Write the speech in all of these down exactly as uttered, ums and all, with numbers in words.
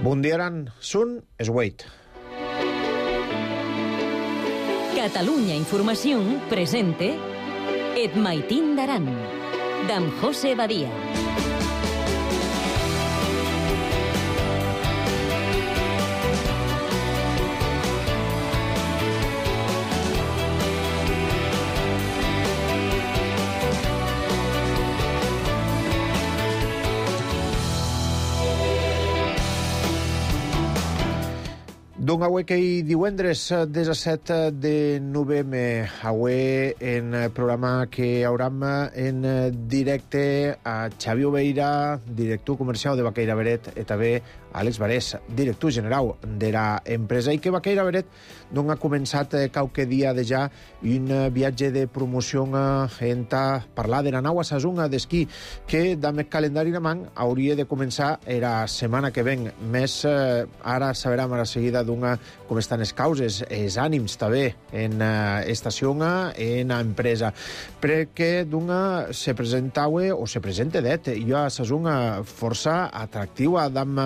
Bundiaran Sun Esweit. Catalunya Información presente Et Maitín d'Aran, d'en José Badia. D'un aué qu'ei divendres disset de novembre, aué en programa que hauram en directe a Xavi Obeira, director comercial de Baqueira Beret, e també Àlex Barés, director general de la empresa, i que Baqueira Beret non ha començat qualque dia de ja un viatge de promoció en parlar de la nau a Sasunga d'esquí, que amb el calendari de man hauria de començar la setmana que ven. Més eh, ara saberem a la seguida d'una com estan les causes, els ànims també en uh, estació en empresa, perquè d'una se presentava o se presenta det jo a Sasunga força atractiva amb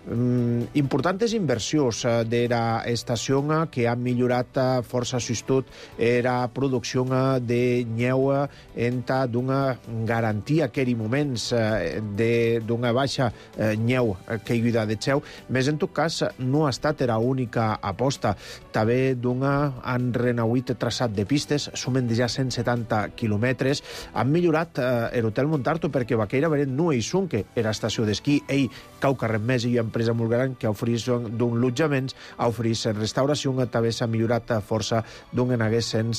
um, importants inversions uh, de la estació que ha millorat uh, força sustut la producció uh, de nyeu enta d'una garantia que en moments uh, d'una baixa uh, nyeu que hi ha de xeu, més en tot cas no ha estat la única aposta. També d'una han renauït traçat de pistes, sumen de ja cent setanta quilòmetres, han millorat eh, l'hotel Montarto perquè Baqueira Beret no hi sunque era estació d'esquí, ell cau carrer més i empresa molt gran que oferís d'un lotjaments, oferís restauració, també s'ha millorat força d'un en hagués en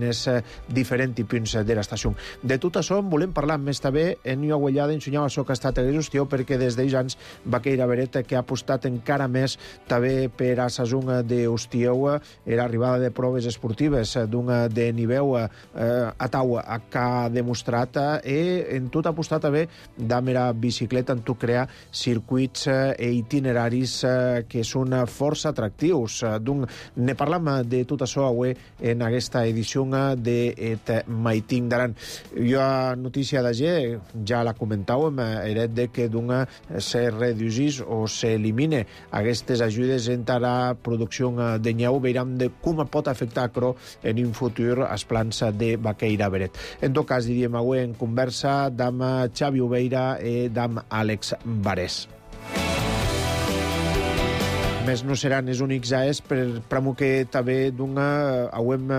els diferents punts de l'estació. De tot això en volem parlar més també en una guellada ensenyava això que ha estat exhaustiu perquè des d'ells anys Baqueira Beret que ha apostat encara més també per a Sasunga d'Hostieu era arribada de proves esportives d'un de nivell eh, a tau que ha demostrat i en tot apostat també d'amb la bicicleta en tot crear circuits e itineraris que són força atractius. Donc, ne parlam de tot això avui en aquesta edició de Et Maitín d'Aran. Jo a notícia d'agé ja la comentàvem, era de que d'una se reduís o s'elimine aquestes ajudes en la producció de nyeu, veurem de com pot afectar però en un futur els plans de Baqueira Beret. En tot cas, diríem avui en conversa amb Xavi Obeira i amb Àlex Barés. Més no seran els únics aes per pramo que també d'una auem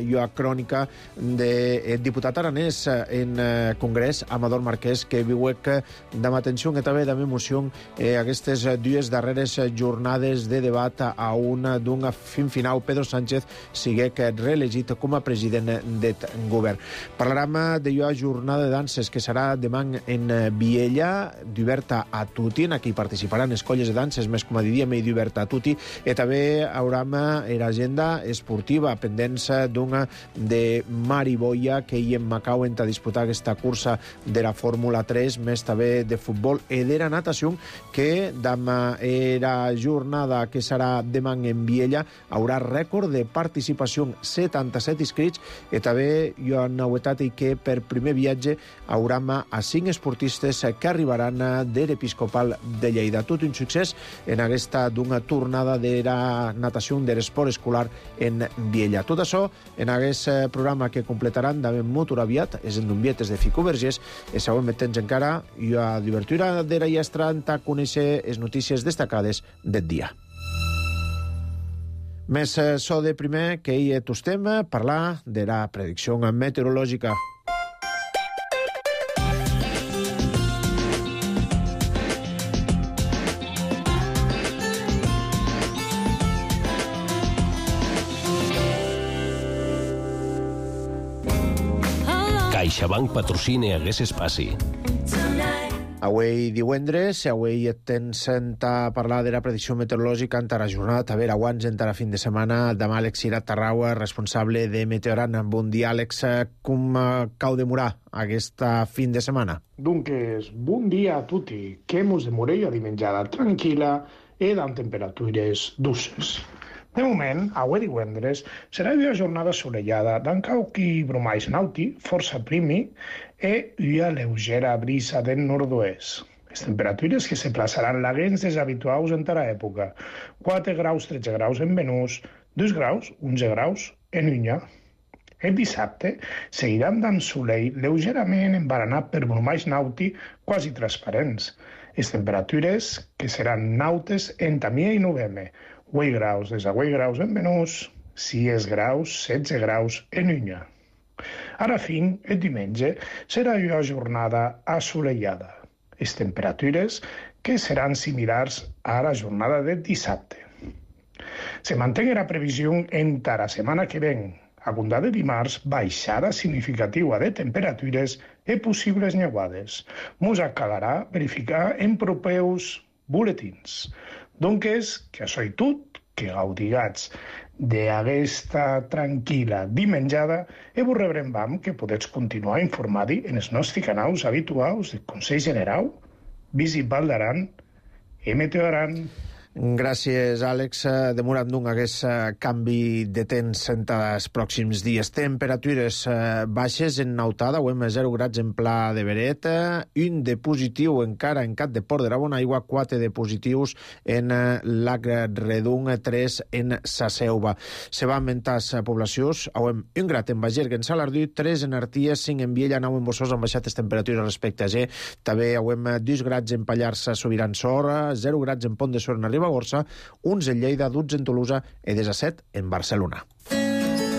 jo a crònica del diputat aranès en Congrés, Amador Marquès, que viuec d'am atenció i també d'am emoció eh, aquestes dues darreres jornades de debat a una d'un fin final Pedro Sánchez siguec reelegit com a president del govern. Parlarem de jo a jornada de danses que serà demà en Viella, d'oberta a tutti, en aquí participaran escolles de danses, més com a diríem, i d'oberta a tutti, i també hauram l'agenda esportiva pendents d'una de Mari Boia que hi en Macau enta disputar aquesta cursa de la Fórmula tres, més també de futbol i de la natació que d'am la jornada que serà demà en Viella haurà rècord de participació, setanta-set inscrits, i també jo han novetat que per primer viatge hauram a cinc esportistes que arribaran de l'Episcopal de Lleida. Tot un succés en aquesta d'una tornada de la natació de l'esport escolar en Viella. Tot això en aquest programa que completaran també molt aviat, és en Dumbietes de Fico Vergés, i següent temps encara i a divertura de la llestra a conèixer les notícies destacades del dia. Més so de primer que hi tostem parlar de la predicció meteorològica. CaixaBank patrocina aquest espaci. Avui divendres, avui tens a parlar de la predicció meteorològica en la jornada, també aguants en la fin de setmana, demà Àlex Cirat Tarraua, responsable de Meteoran. Bon dia, Àlex. Com cau demorar aquesta fin de setmana? Dunques, bon dia a tutti, que mos demorei a dimenjada tranquil·la e amb temperatures dulces. De moment, avui divendres, serà una jornada assolellada d'en qualque bromais nauti, força primi, e una lleugera brisa del nord-oest. Les temperatures que se plaçaran laguens deshabituaus en tara època. quatre graus, tretze graus en Venús, dos graus, onze graus en Unya. El dissabte seguiran dant solell lleugerament embaranat per brumalls nauti quasi transparents. Les temperatures que seran nautes en Tamià i Novembre. vuit graus des a vuit graus en Venús, sis graus, setze graus en Unya. Ara fin, el diumenge serà una jornada assolellada. Les temperatures que seran similars a la jornada del dissabte. Se manté la previsió en la setmana que ven, a comptar de dimarts, baixada significativa de temperatures i possibles neuades. Mos acabarà verificar en propeus buletins. Doncs, que això i tot, que gaudigats d'aquesta tranquil·la dimenjada i vos rebrem que podeu continuar informant en els nostres canals habituals de Consell General, Visit Val d'Aran i Meteo Aran. Gràcies, Àlex. Demorat d'un hagués canvi de temps en els pròxims dies. Temperatures baixes en Nautada, o amb zero graus en Pla de Beret, un de positiu encara en Cat de Port de la Bonaigua, quatre de positius en Lac Redung, tres en Sa Selva. Se va augmentar les poblacions, un grat en Bagerga, en Salardú, tres en Arties, cinc en Viella, nou en Bossós, han baixat les temperatures respecte a G. També hem dos graus en Pallars, Sobirán Sor, zero graus en Pont de Sor, en Arriba Gorsa, uns en Lleida, dotze en Tolosa i disset en Barcelona.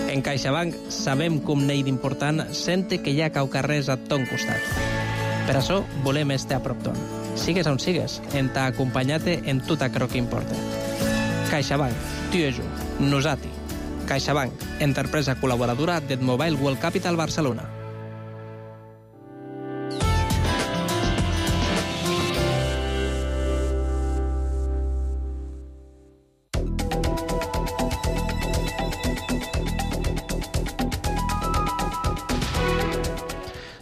En CaixaBank sabem com n'hi d'important sente que hi ha cau carrers a ton costat. Per això volem estar a prop ton. Sigues on sigues, en ta acompanyat en tot aquello que importa. CaixaBank, tu i jo, nosati. CaixaBank, empresa col·laboradora del Mobile World Capital Barcelona.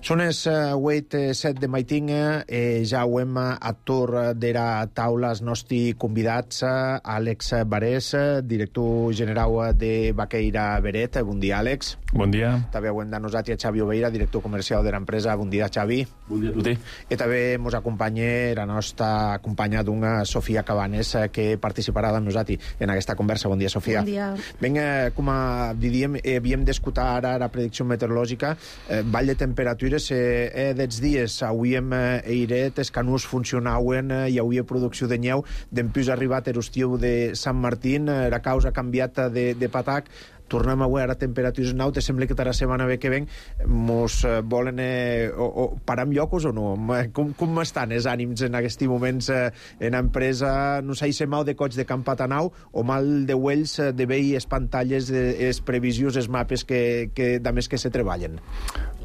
Són els vuit set de maiting, eh, ja ho hem a torn de la taula els nostres convidats, Àlex Barés, director general de Baqueira Beret. Bon dia, Àlex. Bon dia. També ho hem de nosaltres a Xavi Oveira, director comercial de l'empresa. Bon dia, Xavi. Bon dia a tutti. I també ens acompanya la nostra companya d'una, Sofia Cabanes, que participarà amb nosaltres en aquesta conversa. Bon dia, Sofia. Bon dia. Vinga, com diríem, havíem d'escoltar ara la predicció meteorològica, eh, vall de temperatures. Eh, dels dies avui hem eiret, els canús funcionaven, eh, hi havia producció de nyeu, d'empús arribat l'estiu de Sant Martín, eh, la causa ha canviat de, de patac, tornem avui a temperatures nautes, sembla que la setmana que ven mos eh, volen eh, o, o parar en llocos o no? Com, com estan els ànims en aquests moments eh, en empresa? No sé si mal de cots de Campatanau o mal de uells eh, de veure les pantalles, les previsions, els mapes que, que, de més que se treballen?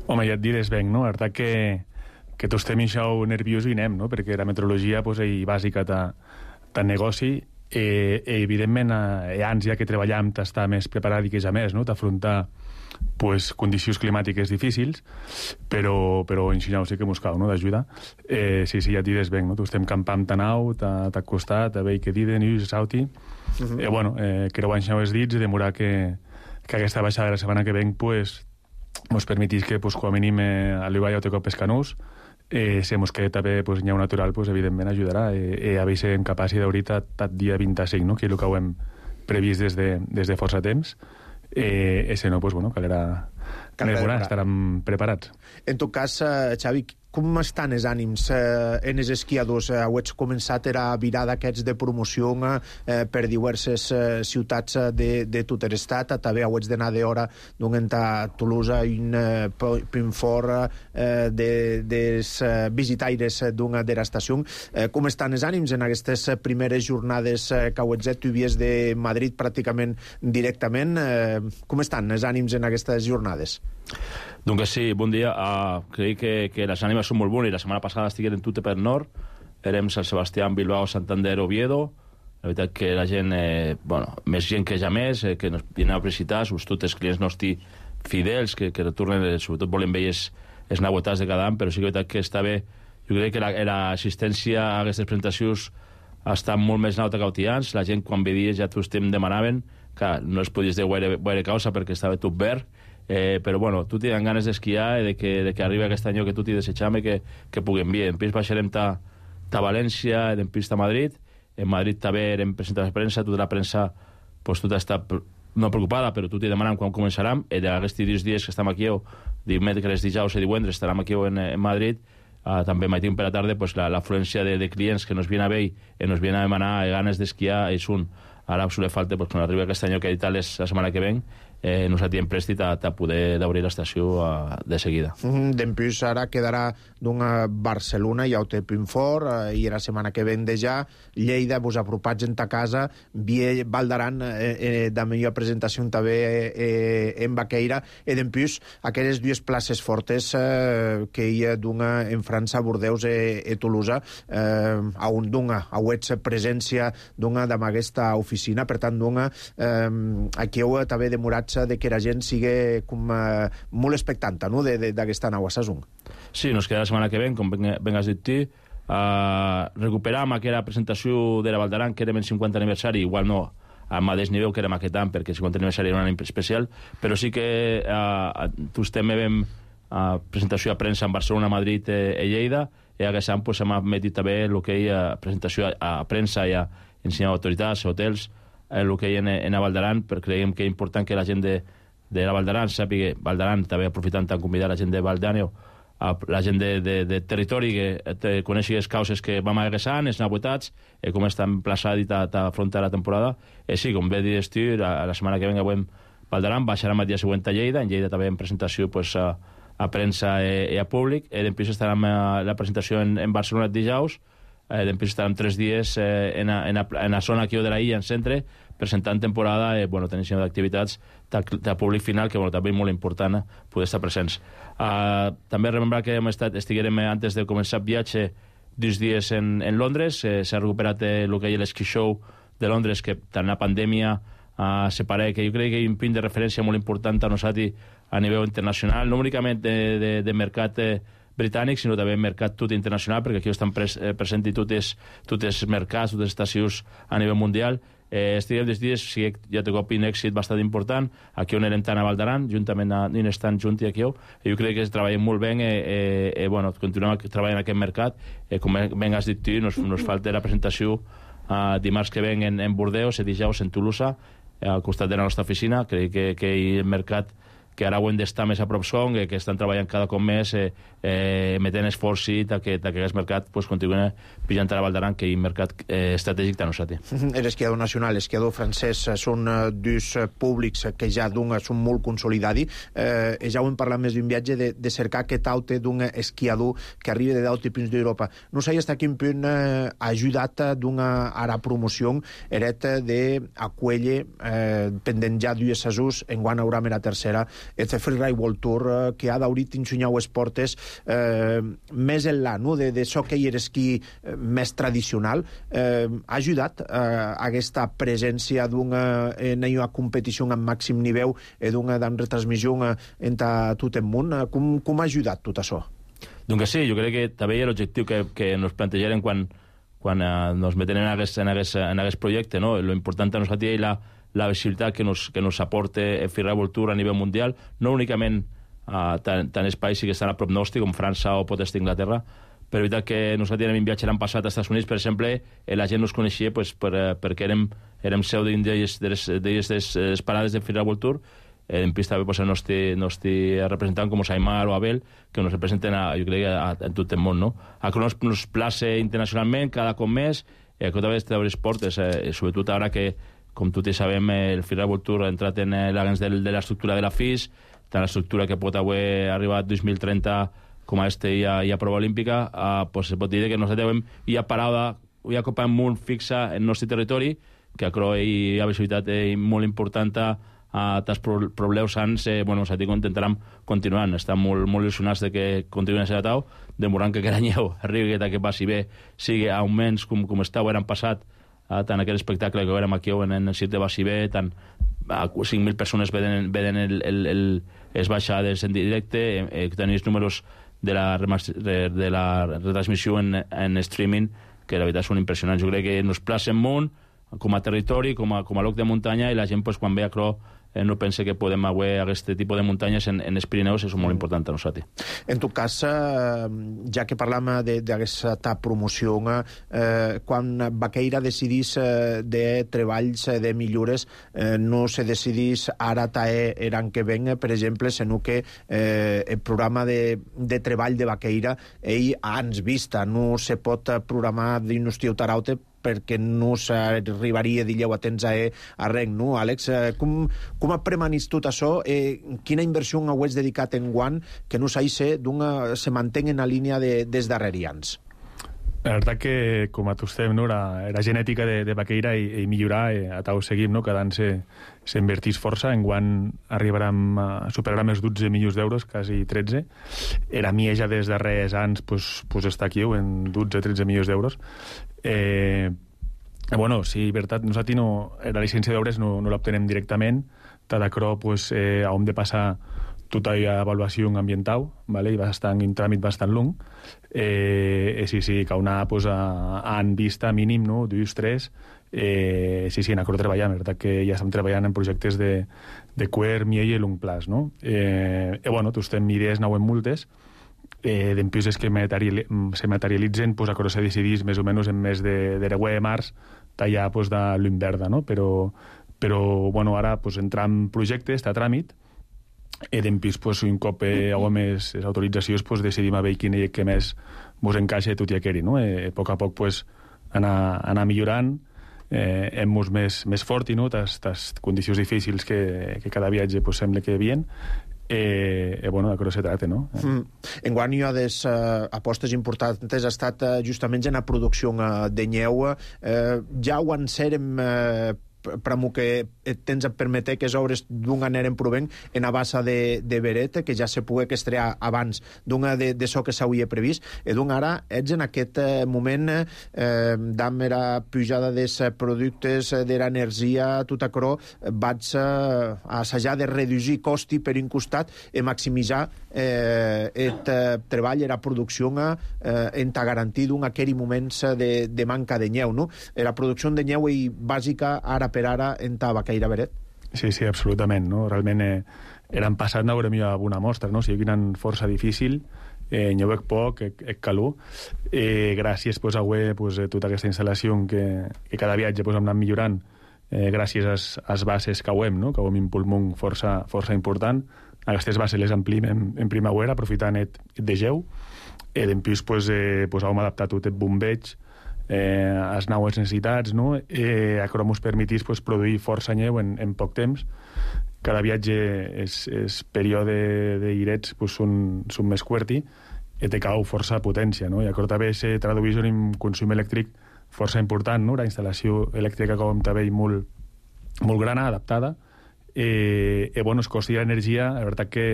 Home, ja et diré, venc, no? La veritat que, que tots estem això nerviós i anem, no? Perquè la meteorologia pues, és bàsica de negoci i, i evidentment, eh, ànsia que treballam d'estar més preparat i que és a més, no? D'afrontar pues, condicions climàtiques difícils, però, però en Xinau sí que mos cal, no? D'ajuda. Eh, sí, sí, ja et diré, venc, no? Tu estem campant tan au, t'ha costat, a veure què diden, i sauti. Uh -huh. eh, bueno, eh, creuant xau els dits i demorar que, que aquesta baixada de la setmana que venc, pues, mos permetís que, pues, com a mínim, eh, a l'Ibai o te cop pescanús, eh, si mos queda també pues, nyau natural, pues, evidentment ajudarà. Eh, eh, a veure en capaci d'ahorita tot dia vint-i-cinc, no? Que és el que ho hem previst des de, des de força temps. Eh, ese no, pues, bueno, calera, calera estarem preparats. En tot cas, eh, Xavi, com estan els ànims eh, en els esquiadors? Eh, heu començat a virar d'aquests de promoció eh, per diverses eh, ciutats de, de tot l'estat. També heu d'anar d'hora d'un a Tolosa i un eh, punt fort eh, de, dels eh, visitaires d'una de l'estació. Eh, com estan els ànims en aquestes primeres jornades eh, que heu fet? Tu vies de Madrid pràcticament directament. Eh, com estan els ànims en aquestes jornades? Doncs sí, bon dia. Uh, crec que, que les ànimes són molt bones. La setmana passada estiguem en Tute per Nord, érem Sant Sebastià, Bilbao, Santander, Oviedo. La veritat que la gent, eh, bueno, més gent que ja més, eh, que ens vienen a visitar, sobretot els clients nostres fidels, que, que retornen, eh, sobretot volen veure els, els nauetats de cada any, però sí que la veritat que està bé. Jo crec que l'assistència a aquestes presentacions està molt més nauta que otians. La gent, quan veies, ja tots estem demanaven, que no es podies dir guaire, guaire causa perquè estava tot verd. Eh, però bueno, tu tenen ganes d'esquiar i de que, de que arribi aquest any que tu t'hi desitjam i que, que puguem bé. En pis baixarem ta, a València, e dempús a Madrid. En Madrid també hem presentat la premsa, tota la premsa, pues, tota està no preocupada, però tot i demanant quan començarem, i d'aquests dies dies que estem aquí, dimecres, dijous i divendres, estarem aquí en, en Madrid. Uh, també matin per la tarda, pues, l'afluència de, de clients que nos vienen a veure i nos vienen a demanar ganes d'esquiar és un. Ara us le falta, pues, quan arribi aquest any que editar la setmana que ven, eh, nos atien prèstit a, a poder d'obrir l'estació uh, de seguida. Mm, Dempús ara quedarà d'una Barcelona, ja ho té Pinfort, eh, i la setmana que ven de ja Lleida, vos apropats en ta casa, Vie, Val d'Aran, eh, eh, de millor presentació també eh, en Baqueira, i dempús aquelles dues places fortes eh, que hi ha d'una en França, Bordeus i, i Toulouse, eh, a un d'una, a wets presència d'una d'ama aquesta oficina, per tant d'una eh, aquí heu també demorat de que la gent sigui com, uh, molt expectanta, no?, d'aquesta nau a Sasung. Sí, nos queda la setmana que ven, com ben has dit tu, uh, recuperam aquella presentació de la Val d'Aran, que érem en cinquanta aniversari, igual no al mateix nivell que érem aquest any, perquè el cinquanta aniversari era un any especial, però sí que uh, tots també vam uh, presentació a premsa en Barcelona, Madrid i eh, Lleida, i aquest any pues, hem admetit també el que hi ha presentació a, a premsa i a ensenyar autoritats, hotels, el que hi ha en, en Val d'Aran, perquè creiem que és important que la gent de, de la Val d'Aran sàpiga, Val d'Aran, també aprofitant tant convidar la gent de Val d'Àneu, la gent de, de, de territori que te coneixi les causes que vam agressant, els novetats, eh, com està emplaçat i t'afronta la temporada. Eh, sí, com bé dius tu, la, la setmana que venga avui Val d'Aran, baixarem el dia següent a Lleida, en Lleida també en presentació pues, a, a premsa i a públic, i després estarem a la presentació en, en Barcelona el dijous, eh, després estarem tres dies eh, en, a, en, a, en la zona aquí de la illa, en centre, presentant temporada, eh, bueno, tenint d'activitats de públic final, que bueno, també és molt important eh, poder estar presents. Uh, també remembrar que hem estat, estiguérem eh, antes de començar el viatge dos dies en, en Londres, eh, s'ha recuperat eh, el que hi ha l'esquí show de Londres, que tant la pandèmia uh, separa, que jo crec que hi ha un punt de referència molt important a nosaltres a nivell internacional, no únicament de, de, de mercat eh, britànic, sinó també mercat tot internacional, perquè aquí estan pres, eh, present i tots els mercats, totes les estacions a nivell mundial. Eh, estiguem des dies, sí, ja té cop un èxit bastant important, aquí on érem tant a Val d'Aran, juntament a Nines estan junt i aquí, i jo crec que treballem molt bé, eh, eh, eh, bueno, continuem treballant en aquest mercat, eh, com ben has dit tu, nos, nos falta la presentació eh, dimarts que ven en, en Bordeus, i dijous en Toulouse, eh, al costat de la nostra oficina. Crec que, que el mercat que ara ho hem d'estar més a prop son, que estan treballant cada cop més, eh, eh, metent esforç i que, que aquest mercat pues, continua pillant a la Val d'Aran, que és un mercat eh, estratègic de nosaltres. L'esquiador nacional, l'esquiador francès són uh, dos uh, públics que ja d'un són molt consolidats. Eh, ja ho hem parlat més d'un viatge de, de cercar aquest aute d'un esquiador que arriba de dalt i fins d'Europa. No sé fins a quin punt uh, ha ajudat d'una ara promoció eret d'acuelle eh, pendent ja dues sessions, en quan haurà la tercera, este Freeride World Tour eh, que ha d'haurit ensenyau esportes eh, més enllà, no? de, de so que hi era esquí eh, més tradicional, eh, ha ajudat eh, aquesta presència d'una en una competició amb màxim nivell i d'una retransmissió en tot el món. Com, com ha ajudat tot això? Doncs sí, jo crec que també hi ha l'objectiu que, que nos plantejarem quan, quan eh, nos metem en aquest, en aquest, en aquest projecte, no? Lo important a nosaltres és la la visibilitat que nos, que nos aporta el Freeride World Tour a nivell mundial, no únicament uh, tant, tant els països que estan a prop nostre, com França o pot estar Inglaterra, però és veritat que nosaltres tenim un viatge l'any passat als Estats Units, per exemple, i la gent nos coneixia pues, per, perquè érem, érem seu d'elles de les parades del Freeride World Tour, eh, en pista també pues, el nostre, nostre representant com Saimar o Abel, que nos representen a, jo crec, a, a tot el món, no? A que nos, nos place internacionalment cada cop més, eh, que també t'obres portes, eh, sobretot ara que com tots sabem, el Freeride World Tour ha entrat en l'agents de, de l'estructura de la F I S, tant l'estructura que pot avui arribar a dos mil trenta com a este hi ha, hi ha prova olímpica, eh, pues se pot dir que nosaltres hi ha parada, hi ha copa molt fixa en el nostre territori, que a Croix hi ha visibilitat eh, molt important a, a tants problemes sans, eh, bueno, nosaltres intentarem continuar, estem molt, molt il·lusionats de que continuïn a ser atau, demorant que aquest any arribi que passi bé, sigui augments com, com estava l'any passat, Uh, tant aquell espectacle que érem aquí en, en el circ de Bassibé, tant uh, cinc mil persones veden, veden el, el, el, les baixades en directe, eh, que tenen els números de la, de, de la retransmissió en, en streaming, que la veritat són impressionants. Jo crec que nos placen molt, com a territori, com a, com a lloc de muntanya, i la gent, pues, quan ve a Cro, eh, no pense que podem haver aquest tipus de muntanyes en, en els Pirineus, és molt important a nosaltres. En tot cas, eh, ja que parlam d'aquesta promoció, eh, quan Baqueira decidís eh, de treballs eh, de millores, eh, no se decidís ara tae eran que ven, per exemple, sinó que eh, el programa de, de treball de Baqueira, ell ans vista, no se pot programar dins Tieu Taraute perquè no s'arribaria, dilleu, a temps a, a rec, no? Àlex, eh, com, com ha premanit tot això? Eh, quina inversió heu dedicat en guant que no s'haïsse d'una se mantenga en la línia de, des darrerians? La veritat que, com a tu estem, no, la, la genètica de, de Baqueira i, i millorar, eh, a tau seguim, no? Cada any s'invertís força, en guant arribarem a superar els dotze milions d'euros, quasi tretze. Era mia ja des de res anys, pues, pues està aquí, en dotze tretze milions d'euros. Eh, bueno, sí, veritat, nosaltres no, la llicència d'obres no, no l'obtenem directament. Tadacro, pues, eh, hem de passar tota la avaluació ambiental, vale? I va estar en un tràmit bastant long. Eh, sí, sí, que una pues, a, a en vista mínim, no? Dos, tres. Eh, sí, sí, en Acro treballem, veritat que ja estem treballant en projectes de, de quer, miell i long plaç, no? Eh, eh, bueno, tu estem idees, nou en multes, eh, d'empises que materiali se materialitzen, pues, a Acro se decidís més o menys en mes de, de deu de març, tallar pues, de l'Inverda, no? Però, però bueno, ara pues, entrar en projecte, està a tràmit, i d'empís, pues, un cop eh, hau més les autoritzacions, pues, decidim a veure quin i què més vos encaixa tot i aqueri, no? Eh, a poc a poc, pues, anar, anar millorant, eh, hem mos més, més fort, no? Tas, tas condicions difícils que, que cada viatge pues, sembla que havien, Eh, eh, bueno, de què se trata, no? Eh. Mm. Enguany, una de les uh, apostes importants ha estat uh, justament en la producció uh, de nyeu. Uh, ja ho en serem uh, per a que tens a permetre que les obres d'un aneren provent en a bassa de, de Beret, que ja se pugui estrear abans d'una de, de so que s'hauria previst, i d'un ara ets en aquest eh, moment eh, d'am era pujada dels productes, de l'energia, tot acrò, vaig eh, assajar de reduir costi per un costat i maximitzar eh, el eh, treball i la producció eh, en ta garantir d'un aquell moments de, de manca de nyeu, no? La producció de nyeu i bàsica ara per ara en ta Baqueira Beret. Sí, sí, absolutament, no? Realment eh, eren passat n'haurem ja una mostra, no? O sigui, eren força difícil, eh, n'hi hauec poc, ec calor, eh, gràcies pues, a haver pues, tota aquesta instal·lació que, que cada viatge pues, hem anat millorant, eh, gràcies a les bases que hauem, no? Que hauem un pulmó força, força important. Aquestes bases les amplim en, en primavera, aprofitant el de geu, i d'empís pues, eh, pues, hauem adaptat tot el bombeig, eh, les noves necessitats, no? Eh, això ens permetís pues, produir força nyeu en, en poc temps. Cada viatge, és, és període d'irets pues, són, són més cuerti i te cau força potència, no? I això també se tradueix en un consum elèctric força important, no? La instal·lació elèctrica com també molt, molt grana, adaptada, i, i bueno, el cost de l'energia, la veritat que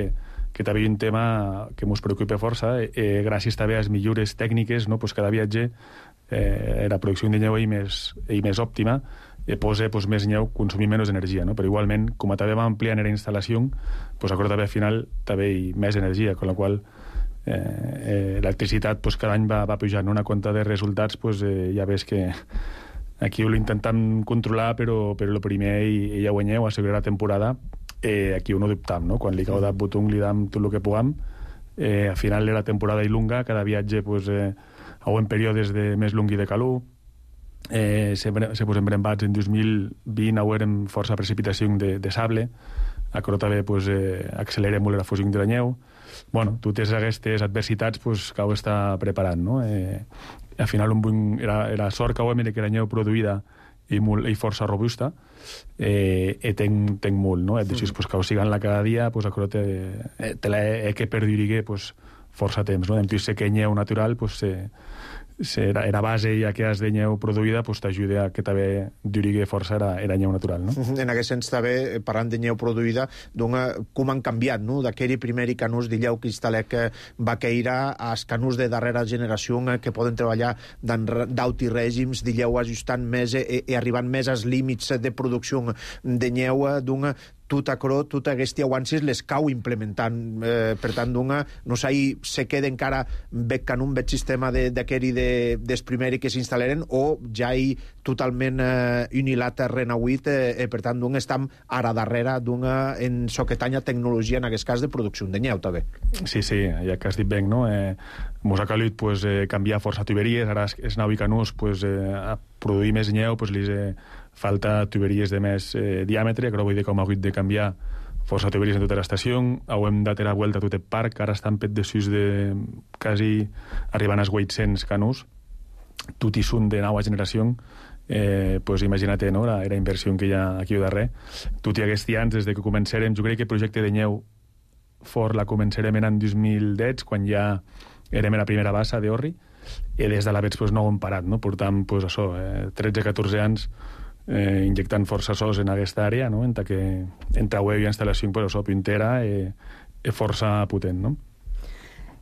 que també hi ha un tema que ens preocupa força, eh, gràcies també a les millores tècniques, no? Pues cada viatge eh, la producció de nyeu és més, més òptima, eh, posa pues, més nyeu, consumir menys energia, no? Però igualment, com també va ampliar la instal·lació, pues, acord també al final també hi ha més energia, amb la qual eh, eh, l'electricitat pues, cada any va, va pujant, no? Una compte de resultats, pues, eh, ja ves que aquí ho intentem controlar, però, però el primer i, i ja guanyeu, assegurar la temporada, eh, aquí ho no dubtam, no? Quan li cau de botó li dam tot el que puguem, eh, al final de la temporada i lunga, cada viatge pues, eh, en períodes de més long i de calor, eh, se, se posen brembats en dos mil vint haurem força precipitació de, de sable, això també pues, eh, accelera molt la fusió de la neu. Bueno, totes aquestes adversitats pues, que ho està preparant, no? Eh, al final un, era, era sort que ho hem de que la neu produïda i, molt, i força robusta, eh, i tenc, tenc molt, no? Et deixes pues, que ho siguen-la cada dia, pues, això te, te l'he que perdurir pues, força temps, no? En plus, sé que nyeu natural, pues, se, se, era, era base i aquelles de nyeu produïda pues, t'ajuda a que també duri força era, era nyeu natural, no? En aquest sens també, parlant de nyeu produïda, dona, com han canviat, no? D'aquell primer canús d'illeu cristalec Baqueira als canús de darrera generació que poden treballar d'auti règims d'illeu ajustant més i, i arribant més als límits de producció de nyeu, dona tot acrò, tot aquest avances les cau implementant. Eh, per tant, d'una, no sé, se queda encara bec en un bec sistema d'aquell de, des primeri que s'instal·laren o ja hi totalment eh, unilater renauït, eh, eh, per tant, d'un estam ara darrere d'una en soquetanya tecnologia, en aquest cas, de producció de nyeu, també. Sí, sí, ja que has dit ben, no? Eh, mos ha calut pues, eh, canviar força tuberies, ara es nau i canús pues, eh, a produir més nyeu, pues, li eh, falta tuberies de més eh, diàmetre, però vull dir com ha hagut de canviar força tuberies en tota l'estació, hem de tenir vuelta a tot el parc, ara estan pet de sus de quasi arribant als vuit-cents canús, tot i són de nova generació, eh, pues imagina't, no? la, la inversió que hi ha aquí al darrere. Tot i aquests anys, des de que començarem, jo crec que el projecte de nyeu fort la començarem en el dos mil deu, quan ja érem a la primera bassa d'Orri, i des de la vets pues, no ho hem parat, no? Portam pues, això, eh, tretze catorze anys eh, injectant força sos en aquesta àrea, no? Entre que entre web i instal·lació pues, això, puntera eh, eh, força potent, no?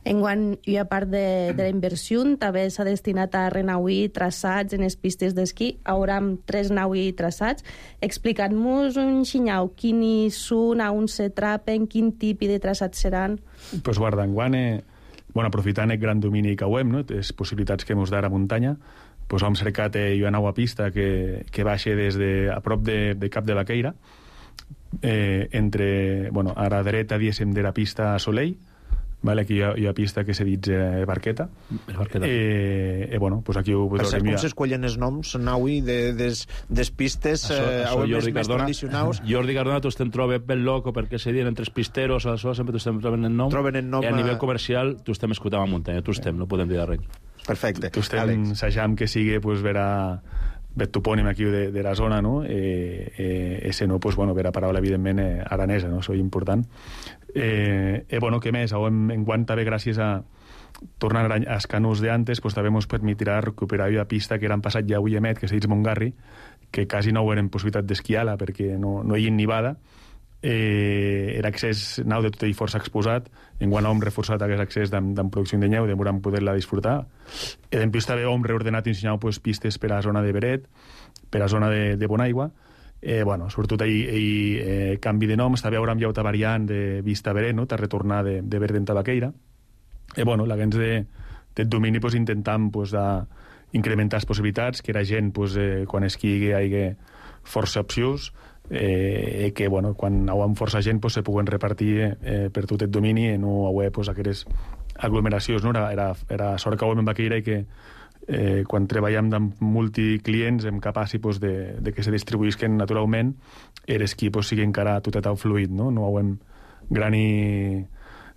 Enguany, i a part de, de la inversió, també s'ha destinat a renauir traçats en les pistes d'esquí. Haurà tres naui traçats. Explicant-nos un xinyau, quins són, on se trapen, quin tipus de traçats seran? Pues guarda, enguany, eh, bueno, aprofitant el gran domini que ho hem, no? Les possibilitats que ens dara muntanya, pues hem cercat eh, una nova pista que, que baixa des de, a prop de, de Cap de Baqueira, eh, entre, bueno, a la dreta, diguéssim, de la pista Soleil, vale, aquí hi ha, hi ha pista que se dit eh, Barqueta. Barqueta. Eh, eh, bueno, pues aquí ho podreu mirar. Com s'escollen els noms, Naui, de, des, des pistes això, eh, això, Jordi més, més tradicionals? Jordi Cardona, tu estem trobe ben loco perquè se diuen entre els pisteros, això, sempre tu estem trobant el nom. Troben el nom. I a nivell comercial, tu estem escoltant a muntanya, tu estem, no podem dir res. Perfecte. Tu estem assajant que sigui, pues, verà bet topònim aquí de, de la zona, no? Eh, eh, ese no, pues, bueno, vera paraula, evidentment, eh, aranesa, no? Això és important. Eh, eh, bueno, què més? En, en quant també gràcies a tornar als canús d'antes, pues, també ens permetirà recuperar la pista que eren passat ja avui emet, que se diu Montgarri, que quasi no eren possibilitat d'esquiar-la perquè no, no hi ha nivada. Eh, era accés nau de tot ell força exposat, en quan hem reforçat aquest accés de, de producció de nyeu, de volem poder-la disfrutar. I en plus també hem reordenat i ensenyat pues, pistes per a la zona de Beret, per a la zona de, de Bonaigua. Eh, bueno, sobretot ahir, ahir eh, canvi de noms, també haurem ja una variant de Vista Beret, no? De retornar de, de Beret en Tabaqueira. I bueno, la gens de, de domini pues, intentam pues, a incrementar les possibilitats, que la gent, pues, eh, quan esquigui, hi hagi força opcions, eh, que bueno, quan hi ha força gent pues, se puguen repartir eh, per tot el domini i no hi ha pues, aquestes aglomeracions. No? Era, era, era sort que ho hem en Baqueira i que eh, quan treballem amb multiclients hem capaç pues, de, de que se distribuïsquen naturalment eres qui pues, sigui encara tot el fluid, no? No ho hem grani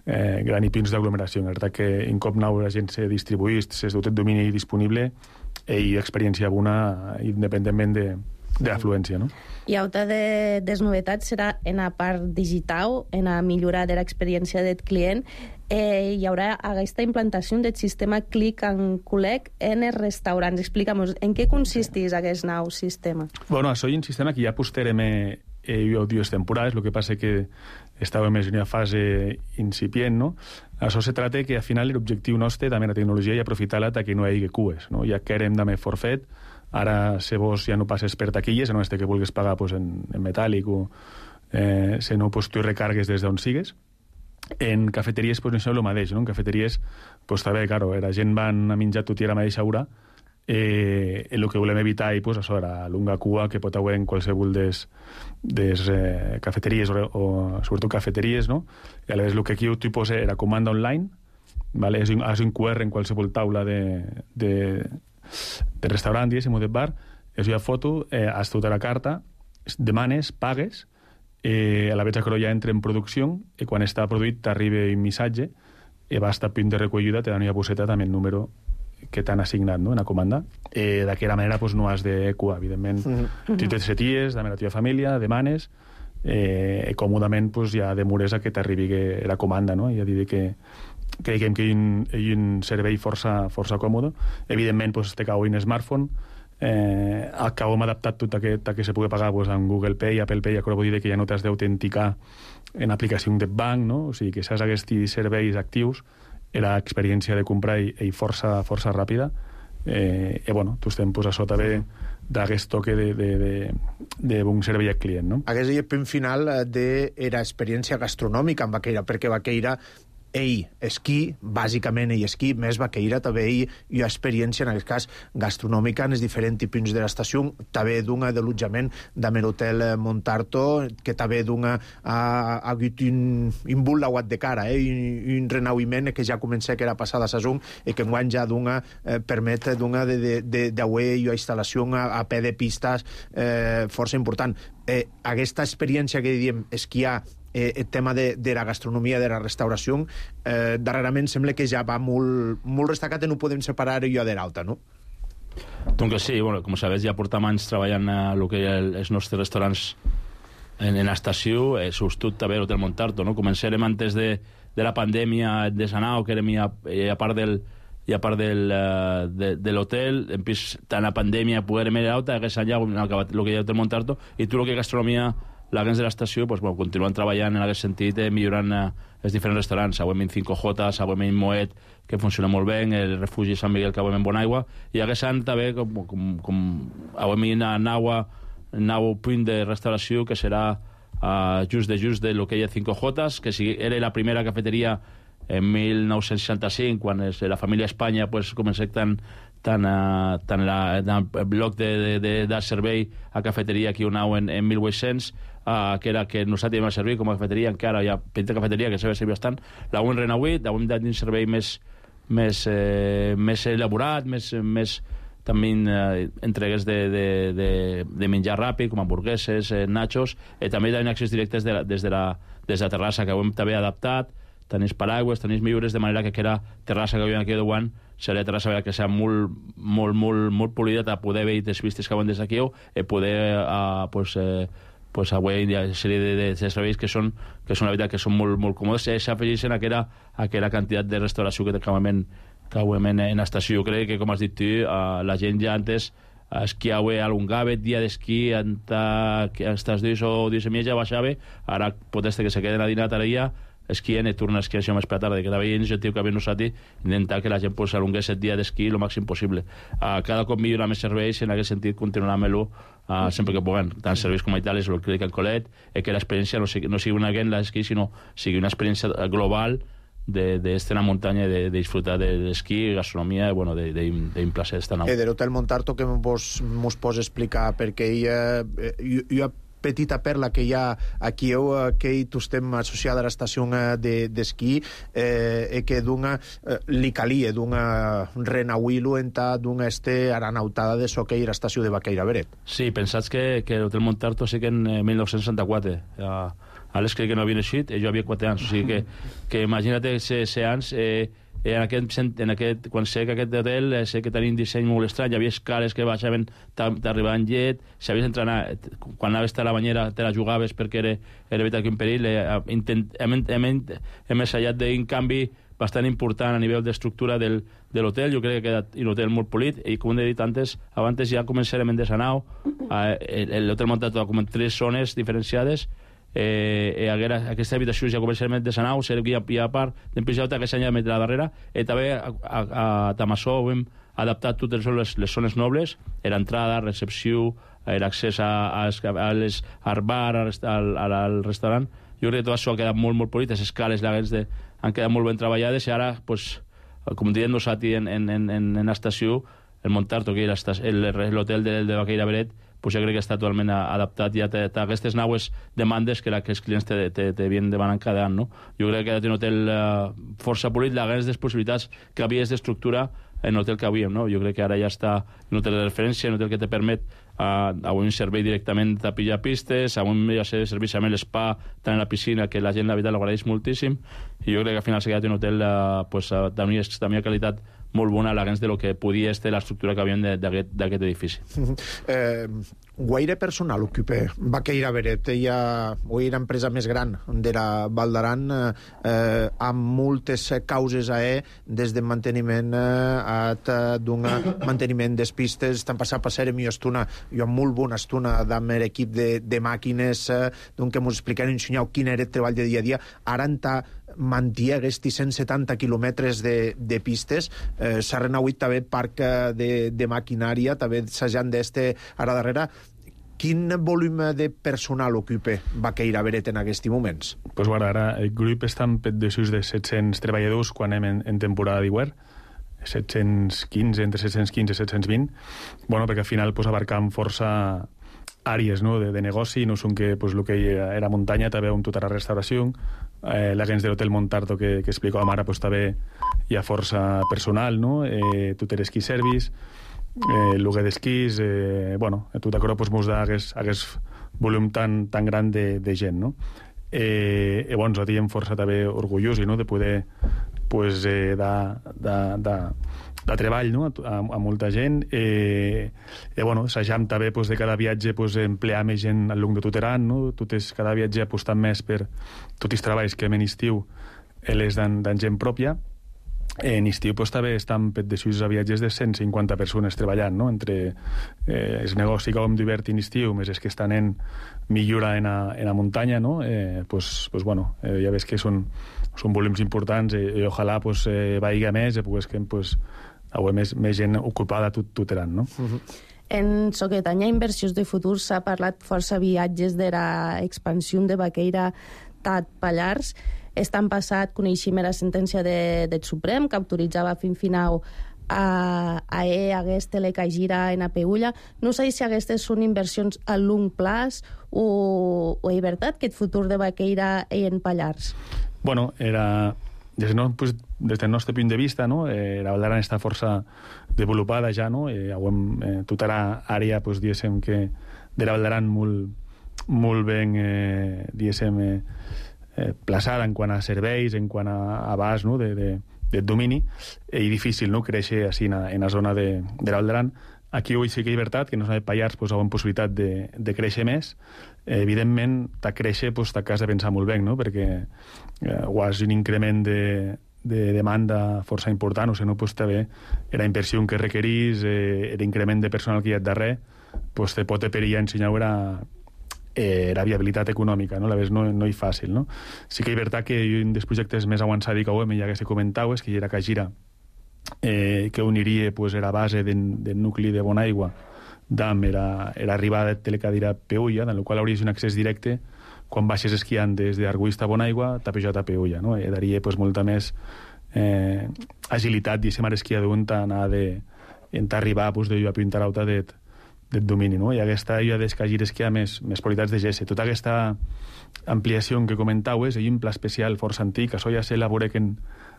eh, grani pins d'aglomeració. La veritat que en cop nou la gent se distribuïs, se tot el domini disponible i experiència bona independentment de de afluència, no? I altra de, des novetats serà en la part digital, en la millora de l'experiència del client. Eh, hi haurà aquesta implantació del sistema Click and Collect en els restaurants. Explica'm, en què consisteix aquest nou sistema? Bueno, això és un sistema que ja posteriorem eh, dues temporades, el que passa que estàvem en una fase incipient, no? Això se trata que al final l'objectiu nostre també la tecnologia i aprofitar-la que no hi hagi cues, no? Ja que érem també forfet, ara se vos ja no passes per taquilles, no és que vulguis pagar pues, en, en metàl·lic o eh, se no pues, tu recargues des d'on sigues. En cafeteries pues, això és el mateix, no? En cafeteries pues, també, claro, la gent van a menjar tot i a la mateixa hora, eh, el que volem evitar i pues, això era la lunga cua que pot haver en qualsevol des, des eh, cafeteries o, o sobretot cafeteries, no? I aleshores el que aquí tu posa era comanda online, vale? És un, és un Q R en qualsevol taula de, de de restaurant, diguéssim, o de bar, és una foto, eh, has tota la carta, demanes, pagues, eh, a la vegada que ja entra en producció, i quan està produït t'arriba un missatge, i vas a punt de recollida, te dan una bosseta també el número que t'han assignat, no?, en la comanda. Eh, D'aquella manera pues, no has de cua, evidentment. Mm-hmm. Tu te seties, també la teva família, demanes, eh, còmodament pues, ja demores a que t'arribi la comanda, no? Ja diré que creiem que hi ha un, hi ha un servei força, força còmode. Evidentment, pues, té cau un smartphone, eh, que hem adaptat tot aquest que se pugui pagar pues, amb Google Pay, Apple Pay, ja vull dir que ja no t'has d'autenticar en aplicació de banc, no? O sigui, que saps aquests serveis actius, era experiència de comprar i, i força, força ràpida, eh, e bueno, tu estem pues, a sota de d'aquest toque de, de, de, de bon servei al client, no? Aquest és el punt final de era experiència gastronòmica en Vaqueira, perquè Vaqueira ell esquí, bàsicament ell esquí, més Vaqueira també ell hi ha experiència, en aquest cas, gastronòmica en els diferents punts de l'estació, també d'una de l'allotjament d'en l'hotel Montarto, que també d'una ha hagut un, un bull d'aguat de cara, eh? un, un renauïment que ja comença que era passada a saison i que enguany ja d'una eh, permet d'una d'auer i instal·lació a, a peu de pistes eh, força important. Eh, aquesta experiència que diem esquiar Eh, el tema de, de la gastronomia, de la restauració, eh, darrerament sembla que ja va molt, molt destacat i no podem separar allò de l'alta, no? Donc sí, bueno, com sabeu, ja portem anys treballant a lo que hi ha els nostres restaurants en, en estació, eh, substitut també l'Hotel Montarto, no? Començarem antes de, de la pandèmia de Sanao, que érem a, a part del i a part del, uh, de, de l'hotel, en pis, tant la pandèmia poguérem ir a l'alta, hagués allà el que hi ha l'Hotel Montarto, i tot el que gastronomia la gens de l'estació, pues, bueno, continuen treballant en aquest sentit, eh, millorant eh, els diferents restaurants. Avui en cinco J, avui en Moet, que funciona molt bé, el refugi Sant Miguel, que avui en Bonaigua, i aquest any també, com, com, com avui en Naua, nou punt de restauració, que serà uh, just de just de lo que hi ha cinco J, que si era la primera cafeteria en mil nou-cents seixanta-cinc, quan es, la família Espanya pues, comença tan tant, uh, tant la, el bloc de, de, de, de servei a cafeteria aquí un nou en, en mil vuit-cents, uh, que era que nosaltres vam servir com a cafeteria, encara hi ha petita cafeteria que s'ha de servir bastant, la hem renauït, la hem dat un servei més, més, eh, més elaborat, més, més també eh, entregues de, de, de, de menjar ràpid, com hamburgueses, eh, nachos, i també hi ha accés directes de la, des, de la, des de la terrassa, que ho hem també adaptat, tenis paraigües, tenis millores, de manera que aquella terrassa que hi ha aquí de Duan serà terrassa que serà molt, molt, molt, molt polida a poder veure les vistes que van des d'aquí i poder uh, pues, eh, pues, avui hi ha una sèrie de, de, de serveis que són, que són la veritat que són molt, molt còmodes i s'afegeixen a aquella, a aquella quantitat de restauració que acabament que en, en estació. Jo crec que, com has dit tu, uh, la gent ja antes esquiava a l'Ungavet, dia d'esquí hasta els dies o dies i mitja baixava, ara pot ser que se queden a dinar tarea esquien i torna a esquiar això més per la tarda, que també hi ha iniciatiu que havia nosaltres intentar que la gent pues, alongués el dia d'esquí el màxim possible. Uh, cada cop millora més serveis i en aquest sentit continuarà amb-lo uh, sempre que puguem, tant serveis com a Itàlia, el que dic en Colet, i que l'experiència no sigui, no sigui una gent l'esquí, sinó sigui una experiència global de, de estar en la muntanya, de, de disfrutar de l'esquí, gastronomia, bueno, de, de, de un placer estar en eh, de l'Hotel Montarto, que mos, mos pots explicar, perquè ella, eh, jo, jo petita perla que hi ha aquí eh, que hi tu estem associada a l'estació d'esquí eh, i que d'una eh, li calia d'una renauir-lo entà d'una este aranautada de so que hi l'estació de Vaqueira Beret. Sí, pensats que, que l'Hotel Montarto sí que en eh, mil nou-cents seixanta-quatre uh, Alex crec que no havia naixit i jo havia quatre anys, o sigui que, que imagina't se, se anys eh, en aquest, en aquest, quan sé que aquest hotel eh, sé que tenia un disseny molt estrany, hi havia escales que baixaven, t'arribaven llet, si havies d'entrenar, quan anaves a la banyera te la jugaves perquè era, era veritat que un perill, eh, intent, hem, hem, hem ensaiat d'un canvi bastant important a nivell d'estructura del, de l'hotel. Jo crec que ha quedat un hotel molt polit i com he dit antes, abans ja començarem en Desanau, eh, l'hotel muntat com en tres zones diferenciades. Eh, eh, haguera, aquesta habitació ja començarem de Sanau, serà que hi ha, hi ha part d'en Pijauta que s'ha met a la darrera, i també a, a, a Tamassó hem adaptat totes les, les zones nobles, l'entrada, recepció, l'accés a, a, a les, al bar, al, al, al restaurant. Jo crec que tot això ha quedat molt, molt polit, les escales de, han quedat molt ben treballades i ara, pues, com diem nosaltres en, en, en, en l'estació, el Montarto, que és l'hotel de, de Vaqueira Beret, pues jo crec que està totalment adaptat ja té, té aquestes naues demandes que, la, que els clients te, te, te vienen demanant cada any, no? Jo crec que ha de tenir un hotel uh, força polit, la grans des possibilitats que havia d'estructura en l'hotel que havíem, no? Jo crec que ara ja està un hotel de referència, un hotel que te permet uh, a un servei directament a pillar pistes, a un ja sé, serveix amb l'espa, tant en la piscina, que la gent la veritat l'agraeix moltíssim, i jo crec que al final s'ha quedat un hotel uh, pues, uh, d'una qualitat molt bona a la gens de lo que podia ser l'estructura que havíem d'aquest edifici. Eh, guaire personal ocupa Vaqueira Beret. Hi ha una empresa més gran de la Val d'Aran eh, amb moltes causes a e, des de manteniment a d'un manteniment des pistes. Estan passant per ser mi estona, jo amb molt bona estona amb l'equip de, de màquines, eh, d'un que mos expliquen ensenyau quin era el treball de dia a dia. Ara està manté aquests cent setanta quilòmetres de, de pistes. Eh, S'ha renauit també parc de, de maquinària, també s'han d'este ara darrere. Quin volum de personal ocupa Baqueira Beret en aquests moments? Pues guarda, ara el grup està en pet de sus de set-cents treballadors quan anem en, en temporada d'hivern, set-cents quinze, entre set-cents quinze i set-cents vint, bueno, perquè al final pues, abarcam força àrees, no?, de, de negoci, no són que pues, el que era, era muntanya, també amb tota la restauració, eh, l'agents de l'hotel Montarto que, que explicàvem ara, pues, també hi ha força personal, no?, eh, tot el ski service, eh, el lloguer d'esquís, eh, bueno, tot això pues, mos da aquest volum tan, tan gran de, de gent, no? Eh, i bueno, nosaltres hem força també orgullosos, no?, de poder pues, eh, de, de, de, de treball, no?, a, a molta gent. Eh, i bueno, s'ajam també pues, de cada viatge pues, emplear més gent al lloc de Tuteran, no? Tot és cada viatge apostant més per tots els treballs que hem en estiu les d'en gent pròpia. En estiu pues, també estan de sus a viatges de cent cinquanta persones treballant, no?, entre eh, els negocis que hem d'hivern en estiu, més els que estan en millora en a, en a muntanya, no?, eh, pues, pues, bueno, eh, ja ves que són, són volums importants i, i ojalà pues, eh, vagi més i pues, que pues, hi més, més gent ocupada tot, Tuteran, no? Uh-huh. En Soquetanya Inversions de Futur s'ha parlat força viatges de la expansió de Baqueira Tat Pallars. Estan passat, coneixem la sentència de, del Suprem, que autoritzava fin final a, a E, a aquest telecagira en a Peulla. No sé si aquestes són inversions a long plaç o, o és veritat que el futur de Baqueira és en Pallars. Bueno, era... Des, no, pues, des del nostre punt de vista, no? eh, la Valdaran està força desenvolupada ja, no? Eh, eh, tota l'àrea, pues, diguéssim, que de la Valdaran molt, molt ben, eh, diguéssim, eh, eh, plaçada en quant a serveis, en quant a abast, no?, de, de, de domini, i difícil, no?, créixer així en, en la zona de, de la Valdaran. Aquí avui sí que és veritat que no de Pallars pues, hi ha possibilitat de, de créixer més. Eh, evidentment, de créixer pues, t'has de pensar molt bé, no?, perquè eh, ho has un increment de, de demanda força important, o sigui, no, pues, també la inversió que requerís, eh, l'increment de personal que hi ha darrere, pues, te pot perillar ensenyar la, eh, la viabilitat econòmica, no? A la vegada no, no és fàcil, no? Sí que és veritat que un dels projectes més avançats que ho hem, ja que se comentau, és que hi era Cagira, Eh, que uniria pues, la base del de nucli de Bonaigua d'Am era, era arribada de telecadira a Peulla, en la qual hauries un accés directe quan baixes esquiant des d'Arguista a Bonaigua, tapejat a Peulla, no? I daria pues, molta més eh, agilitat, diguéssim, a l'esquiador on anar de, on arribar pues, de a Pintarauta del de domini, no? I aquesta ja d'escagir esquiar més, més qualitats de gesse. Tota aquesta ampliació que comentaues, hi ha un pla especial força antic, això ja s'elabora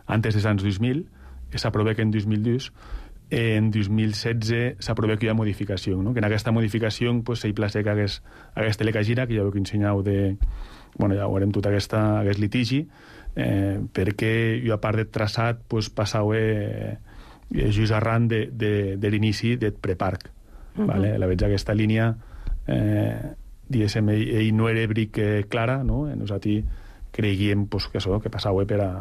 antes dels anys dos mil, que s'aprova que en dos mil dos, en dos mil setze s'aprova que hi ha modificació, no? Que en aquesta modificació pues, s'hi plaça que hagués, hagués telecagira, que ja ho que ensenyau de... Bueno, ja veurem tot aquesta, aquest litigi, eh, perquè jo, a part de traçat, pues, passau eh, just arran de, de, de l'inici del preparc. Uh-huh. Vale? La veig aquesta línia, eh, diguéssim, ell, ell no era bric eh, clara, no? Nosaltres creguíem pues, que això, que passau per a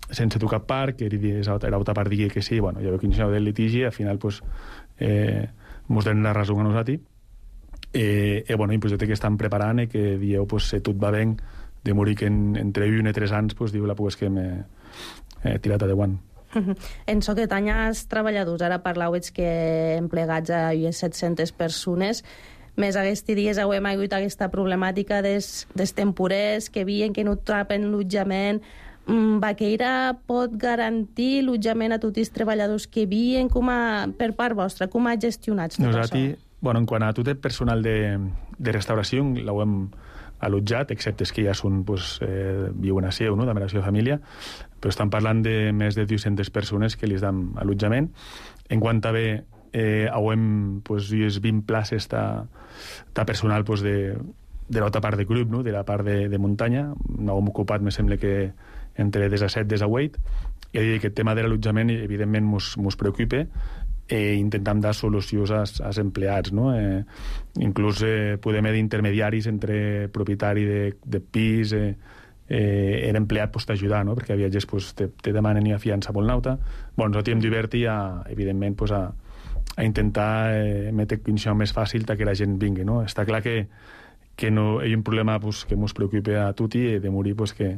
sense tocar parc, era altra part digui que sí, bueno, ja veu que iniciau del litigi, al final pues, eh, mos donen la raó a nosaltres, eh, eh, bueno, un projecte que estan preparant i que dieu, pues, si tot va bé, de morir que en, entre un i tres anys, pues, diu la pues, que m'he eh, tirat a deu anys. En Soquetanya, els treballadors, ara parlàveu que emplegats a set-centes persones, més aquests dies heu hagut aquesta problemàtica dels, dels temporers que veien que no trapen l'allotjament. Baqueira pot garantir l'allotjament a tots els treballadors que viuen? Com a, per part vostra, com ha gestionat tot Nosaltres, això? Bueno, en quant a tot el personal de, de restauració, l'hem allotjat, excepte que ja són, pues, eh, viuen a seu, no?, de la seva família, però estan parlant de més de dues-centes persones que li dam allotjament. En quant a bé, eh, hem, pues, vint places de personal, pues, de, de l'altra part del grup, no?, de la part de, de muntanya. No hem ocupat, me sembla que entre disset i divuit, i aquest tema de l'allotjament evidentment mos, mos preocupa, i intentam dar solucions als, als empleats, no? Eh, inclús eh, podem haver d'intermediaris entre propietari de, de pis, eh, eh, l'empleat pues, t'ajudar, no? Perquè a viatges pues, te, te demanen una fiança molt nauta. Bueno, nosaltres hem divertit a, evidentment, pues, a, a intentar eh, metre condició més fàcil que la gent vingui, no? Està clar que, que no, hi ha un problema pues, que ens preocupa a tutti, i de morir pues, que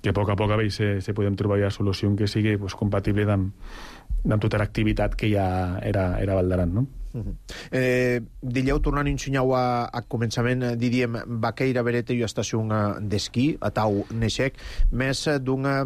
que a poc a poc a veure si, si podem trobar una solució que sigui pues, compatible amb, amb tota l'activitat que ja era, era Val d'Aran, no? Uh-huh. eh, Dileu, tornant a ensenyar a, a començament, diríem, Baqueira Bereta i estació d'esquí, a Tau Neixec, més d'una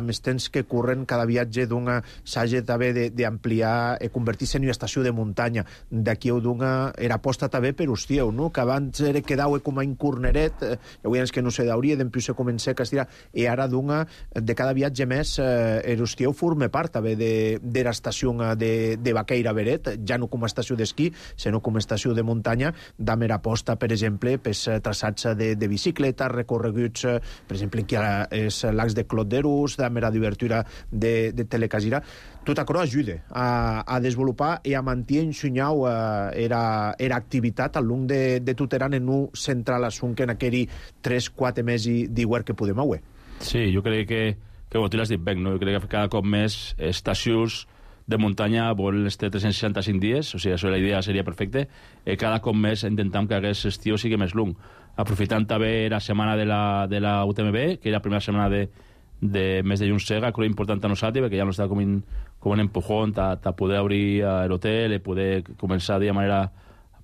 més temps que corren cada viatge d'una s'hagi també d'ampliar i convertir-se en una estació de muntanya. D'aquí d'una era aposta també per Ustieu, no? Que abans era quedau com a un corneret, eh, avui ens que no se dauria, d'empiu se comença a estirar, i ara d'una, de cada viatge més, eh, Ustieu forma part també de, de l'estació de, de Baqueira Beret, ja no com a estació d'esquí, sinó com a estació de muntanya, d'haver aposta, per exemple, per traçats de, de bicicleta, recorreguts, per exemple, aquí és l'ax de Clot d'Erus, d'haver divertura de, de Telecasira. Tot això ajuda a, a desenvolupar i a mantenir ensenyau eh, era, era activitat al long de, de Tuteran en un central assunt en aquell tres quatre mesos d'igual que podem avui. Sí, jo crec que, que ho t'has dit bé, no? Jo crec que cada cop més estacions de muntanya volen estar tres cents seixanta-cinc dies, o sigui, això la idea seria perfecta, i cada cop més intentem que aquest estiu sigui més long. Aprofitant també la setmana de la, de la U T M B, que és la primera setmana de, de mes de juny sega, crec important a nosaltres, perquè ja no està com, in, com un empujón a poder obrir l'hotel i poder començar de manera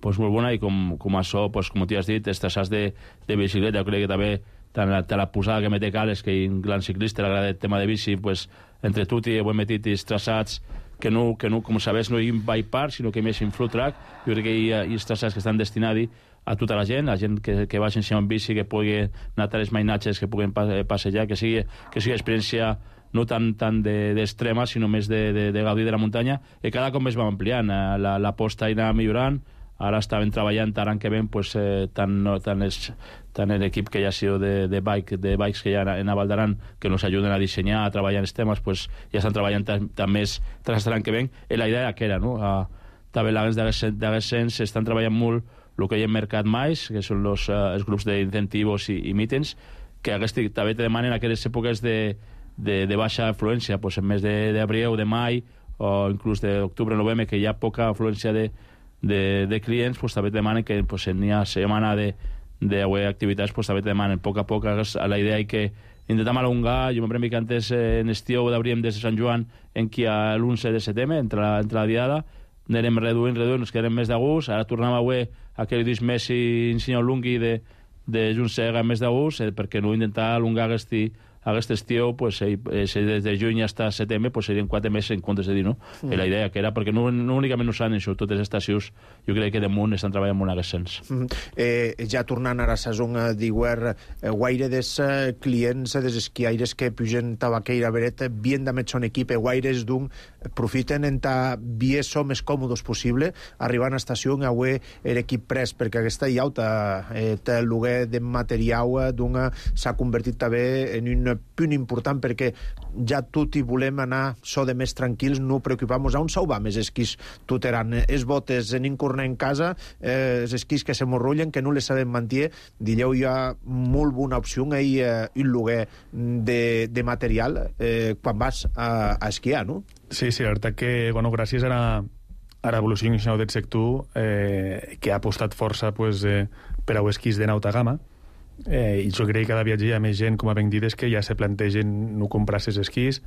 pues, molt bona, i com, com això, pues, com t'hi has dit, els traçats de, de bicicleta, jo crec que també tant la, la posada que mete Cales, que un gran ciclista l'agrada el tema de bici, pues, entre tutti ho hem metit els traçats que no, que no, com sabeu, no hi ha un bike park, sinó que més un flow track. Jo crec que hi ha els traçats que estan destinats a tota la gent, a gent que, que vagi en bici, que pugui anar a les mainatges, que puguin passejar, que sigui, que sigui experiència no tant, tant d'extrema, sinó més de, de, de gaudir de la muntanya, i cada cop més va ampliant. La, la posta irà millorant, ara estaven treballant, ara que ven, pues, eh, tant, no, tant, es, tant l'equip que ja ha sido de, de, bike, de bikes que hi ha en Val d'Aran, que nos ajuden a dissenyar, a treballar en els temes, pues, ja estan treballant també tras l'any que ven, i la idea que era, no? A, també l'agents d'aquest sens estan treballant molt el que hi ha en Mercat Mais, que són los, uh, els grups d'incentivos i, i mítings, que aquest, també te demanen aquelles èpoques de, de, de baixa afluència, pues, en mes d'abril, de, de mai, o inclús d'octubre, novembre, que hi ha poca afluència de De, de clients, pues, també demanen que pues, en hi ha setmana de, de activitats, pues, també demanen a poc a poc a la idea i que intentem alongar. Jo m'apremi que antes en estiu d'obríem des de Sant Joan en qui a l'onze de setembre, entre la, entre la diada, anirem reduint, reduint, ens quedarem més d'agost, ara tornem a avui aquell disc més i ensenyo l'ungui de, de Junsega més d'agost, eh, perquè no intentar alongar aquest aquest estiu, pues, eh, des de juny fins a setembre, pues, serien quatre mesos en comptes de dir, no? Mm. I la idea que era, perquè no, no únicament no s'han això, totes les estacions, jo crec que de munt estan treballant molt en aquest sens. Mm. Eh, ja tornant ara a la saison d'iguer, eh, guaire dels eh, clients, des esquiaires que pugen Tabaqueira Beret, bien de son equip, guaires d'un profiten en ta vieso més còmodes possible, arribant a estació avui l'equip pres, perquè aquesta iauta, eh, el lloguer de material d'una s'ha convertit també en un punt important, perquè ja tot i volem anar so de més tranquils, no preocupamos a on sau va més esquís Tuteran, es botes en incornar en casa, eh, els esquís que se morrollen, que no les sabem mantenir. Dileu hi ha molt bona opció i eh, un lloguer de, de material eh, quan vas a, a esquiar, no? Sí, sí, la veritat que, bueno, gràcies a la, a l'evolució del sector, eh, que ha apostat força pues, eh, per a esquís de nauta gamma, Eh, i jo crec que cada viatge hi ha més gent, com a ben dit, que ja se plantegen no comprar ses esquís,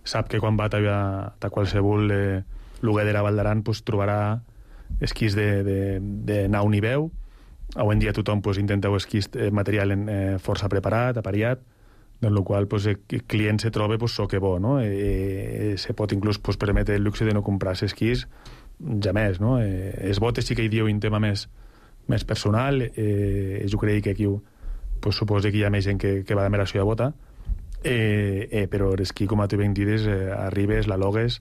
sap que quan va a, a qualsevol eh, lloguer de la Val d'Aran pues, trobarà esquís de, de, de nau ni veu. Avui en dia tothom pues, intenta esquís eh, material en, eh, força preparat, apariat, en el qual pues, el client se troba pues, so que bo, no? Eh, se pot inclús pues, permetre el luxe de no comprar esquís ja més, no? Eh, els botes sí que hi diu un tema més, més personal, eh, jo crec que aquí pues, suposo que hi ha més gent que, que va de meració de bota, eh, eh, però l'esquí, com a tu ben dides, eh, arribes, la logues,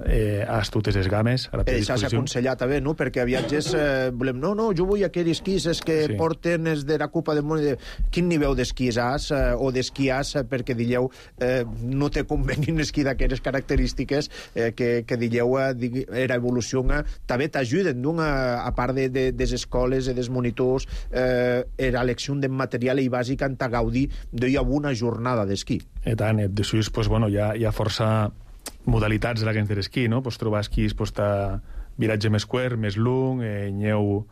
eh, has totes les games a la teva disposició. Això s'ha aconsellat també, no? Perquè a viatges eh, volem, no, no, jo vull aquells esquís es que sí. porten es de la Copa del Món. De... Quin nivell d'esquís has eh, o d'esquí has, eh, perquè dilleu eh, no te convenir un esquí d'aquelles característiques eh, que, que dilleu eh, era evolució eh, també t'ajuden, no? A, a part de, de, des escoles i des monitors, eh, era elecció de material i bàsica en ta gaudir d'una bona jornada d'esquí. I tant, de sus, pues, bueno, hi ha, hi ha força modalitats de la que de l'esquí, no? Pues trobar esquís pues, viratge més quer, més long, eh, nyeu,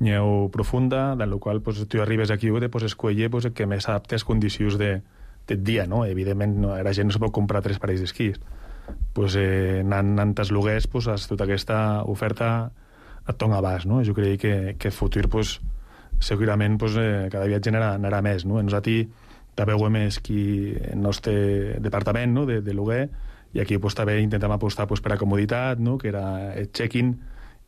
nyeu profunda, en la qual pues, tu arribes aquí i pues, escollir pues, el que més s'adapta a les condicions de, del dia, no? Evidentment, no, la gent no se pot comprar tres parells d'esquís. Pues, eh, anant, anant als luguers, pues, tota aquesta oferta et dona abast, no? Jo crec que, que el futur, pues, segurament, pues, eh, cada viatge anarà, anarà més, no? Nosaltres també ho hem esquí en el nostre departament, no?, de, de luguer, i aquí pues, també intentem apostar pues, per a comoditat, no?, que era el check-in,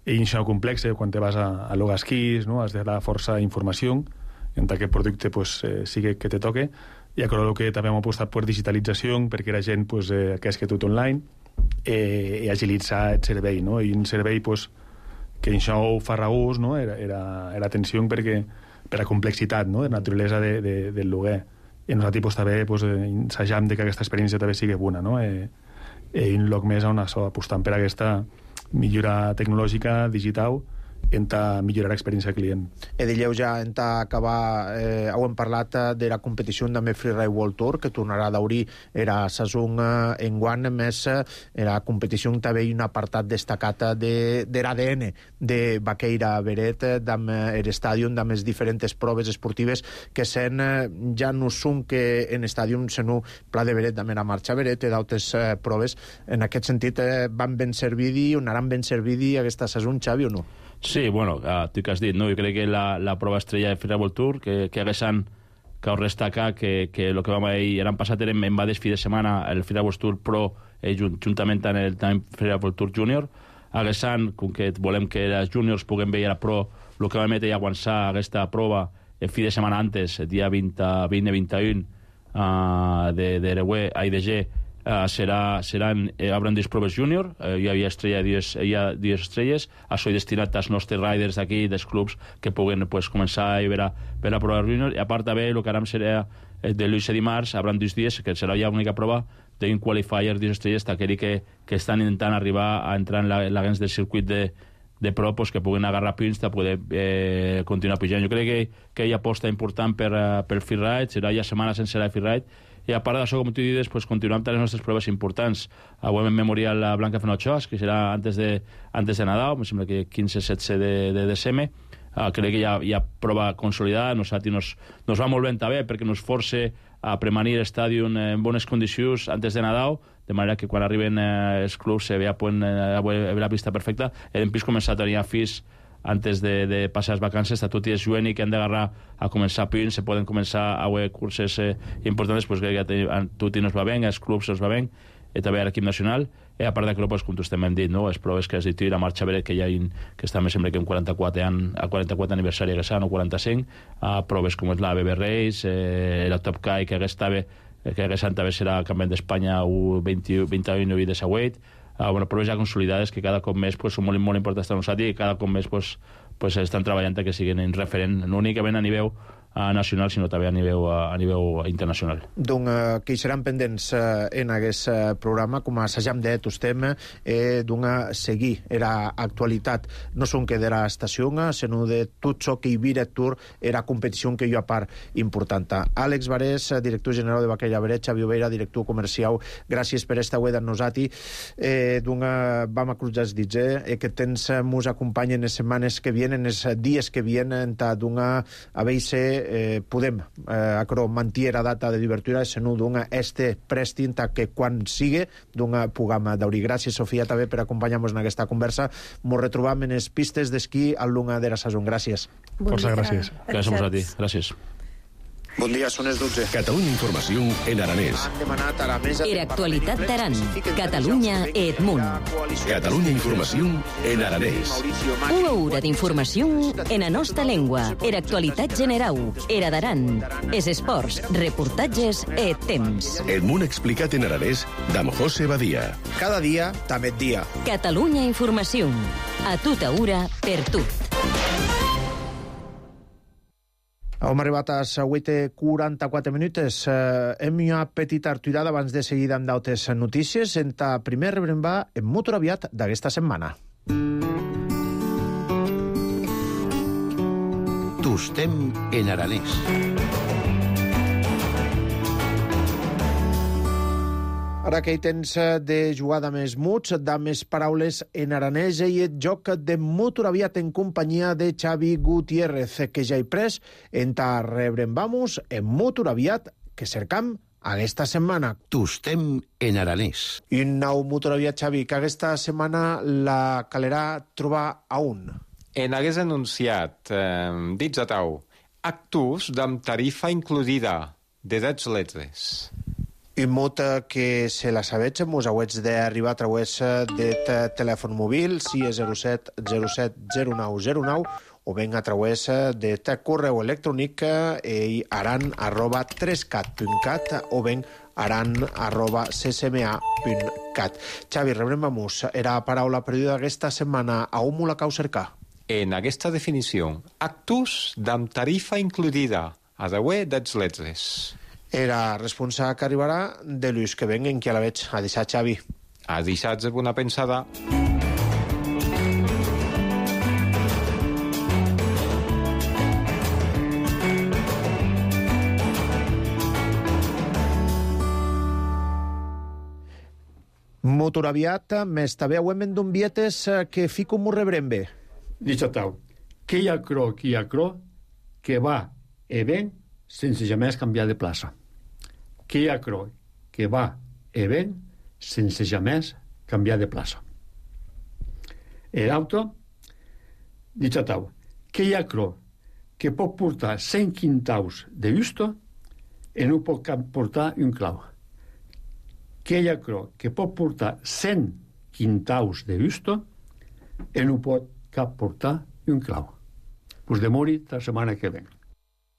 i això complex, quan te vas a, a llogar esquís, no?, has de dar força informació en aquest producte pues, eh, sigui que te toque, i a el que també hem apostat per digitalització, perquè la gent pues, eh, que és que tot online, eh, i agilitzar el servei, no?, i un servei pues, que això ho fa regús, no?, era, era, era atenció perquè, per a complexitat, no?, de naturalesa de, de, del lloguer. I nosaltres pues, també pues, ensajam de que aquesta experiència també sigui bona, no?, eh, i un lloc més on això, apostant per aquesta millora tecnològica, digital, en ta millorar l'experiència del client. E dilleu ja, en ta acabar, eh, heu parlat de la competició també Freeride World Tour, que tornarà a d'obrir era saison eh, en guany, més era competició també un apartat destacat de, de l'A D N de Baqueira Beret, d'am l'estàdion, d'am les diferents proves esportives que sen, eh, ja no són que en estàdion, sinó Pla de Beret, d'am la marxa Beret, i d'altres eh, proves. En aquest sentit, eh, van ben servidi, o anaran ben servidi aquesta saison, Xavi, o no? Sí, bueno, uh, tu que has dit, no? Jo crec que la, la prova estrella de Freeride World Tour, que, que haguessin que us destacar que, que el que vam dir, l'any passat eren en va fi de setmana el Freeride World Tour Pro, eh, juntament amb el Freeride World Tour Junior, haguessin, com que volem que els juniors puguem veure a Pro, el que vam metre i aguançar aquesta prova el fi de setmana antes, el dia vint i vint i u uh, de, de l'E A I D G, Uh, serà, seran, eh, hauran dues proves júnior, eh, hi havia estrella, dies, hi ha dues estrelles, això és destinat als nostres riders d'aquí, dels clubs, que puguen pues, començar a veure per la prova júnior, i a part també el que aram serà eh, de l'Uix a dimarts, hauran dos dies, que serà ja l'única prova d'un qualifier, dues estrelles, d'aquells que, que estan intentant arribar a entrar en la, la gens del circuit de, de pro, pues, que puguin agarrar punts per poder eh, continuar pujant. Jo crec que, que hi ha aposta important per, uh, per Freeride, serà ja setmana sense la Freeride, i a part d'això, com tu dius, pues, continuem amb les nostres proves importants. Avui en memorial la Blanca Fenochoas, que serà antes de, antes de Nadal, em sembla que quinze setze de, de desembre. Uh, crec que hi ha, hi ha prova consolidada. Nosaltres nos, nos va molt ben també perquè nos force a premanir l'estàdion en bones condicions antes de Nadal, de manera que quan arriben eh, els clubs se vea pues, eh, la pista perfecta. Hem vist començar a tenir afís antes de, de passar les vacances, a tot i els juvenils que han d'agarrar a començar punts, se poden començar a haver curses eh, importants, pues, que ja ten, a tot i nos va bé, als clubs nos va bé, i també a l'equip nacional, i a part d'aquí, pues, com tu estem hem dit, no? Les proves que has dit, i la marxa Beret, que ja hi, que està, me sembla que en quaranta-quatre, an, a quaranta-quatre aniversari que s'han, o quaranta-cinc, a proves com és la B B Race, eh, la Top Kai, que hagués també, que hagués també serà campionat d'Espanya u vint i u i de Sauet, Uh, bueno, proves ja consolidades que cada cop més pues, són molt, molt importants per nosaltres i cada cop més pues, pues, estan treballant que siguin en referent, no únicament a nivell uh, nacional, sinó també a nivell, uh, a nivell internacional. Donc, uh, que hi seran pendents uh, en aquest uh, programa, com a assajam de tostem, eh, d'un seguir era actualitat, no són que de la estació, sinó de tot això que hi vira tour era competició que hi ha part important. Àlex Varés, director general de Baqueira Beret, Xavi Oveira, director comercial, gràcies per esta web amb nosaltres. Eh, d'un vam a cruzar els dits, eh, que tens mos acompanyen les setmanes que vienen, els dies que vienen, d'un a veure eh, podem eh, acro mantir la data de divertura, sinó d'un este prestin que quan sigui d'un puguem d'obrir. Gràcies, Sofia, també per acompanyar-nos en aquesta conversa. Ens retrobam en les pistes d'esquí al lunga de la saison. Gràcies. Bon Força gràcies. Gràcies a vosaltres. Gràcies. Bon dia, són les dotze. Catalunya Informació en aranès. Han demanat a la mesa... Era actualitat d'Aran. Catalunya Edmunt. Catalunya Informació en aranès. Una hora d'informació en la nostra llengua. Era actualitat general. Era d'Aran. Es esports, reportatges e temps. Edmunt explicat en aranès d'amb José Badia. Cada dia, també et dia. Catalunya Informació. A tota hora, per tot. Hem arribat a les vuit i quaranta-quatre minuts. Eh, hem una petita aturada abans de seguir amb d'altres notícies. En ta primer rebrem va en Motor Aviat d'aquesta setmana. Tostem en aranès. Ara que hi tens de jugada més muts, de més paraules en aranès i el joc de Motor Aviat en companyia de Xavi Gutiérrez, que ja hi pres en ta rebrem vamos en Motor Aviat, que cercam aquesta setmana. Tostem en aranès. I un nou motoraviat, Xavi, que aquesta setmana la calerà trobar a un. En hagués anunciat, eh, dits a tau, actus d'am tarifa includida de dets letres. I molta que se la sabetge, mos hauets d'arribar a través de telèfon mòbil sis zero set zero set zero nou zero nou o ben a través de correu electrònic e aran arroba tres cat punt cat o ben aran arroba ccma punt cat. Xavi, rebrem amus. Era paraula perduda aquesta setmana. A on la cau cercar? En aquesta definició, actus d'am tarifa includida, a deuer dets letres. Era responsable que arribarà de l'ús que venguen, que a la veig. A deixar, Xavi. A deixar de bona pensada. Motoraviat, més també auem d'un bietes que fico m'ho rebrem bé. Dichatau, que hi ha cro, que hi ha cro, que va e ven sense jamais canviar de plaça. Que hi ha cro, que va e ven sense jamais canviar de plaça. El auto, dichatau, que hi ha cro, que pot portar cent quintaus de justo i no pot portar un clau. Que hi ha cro, que pot portar cent quintaus de justo i no pot cap portar un clau. Pues demori la setmana que ven.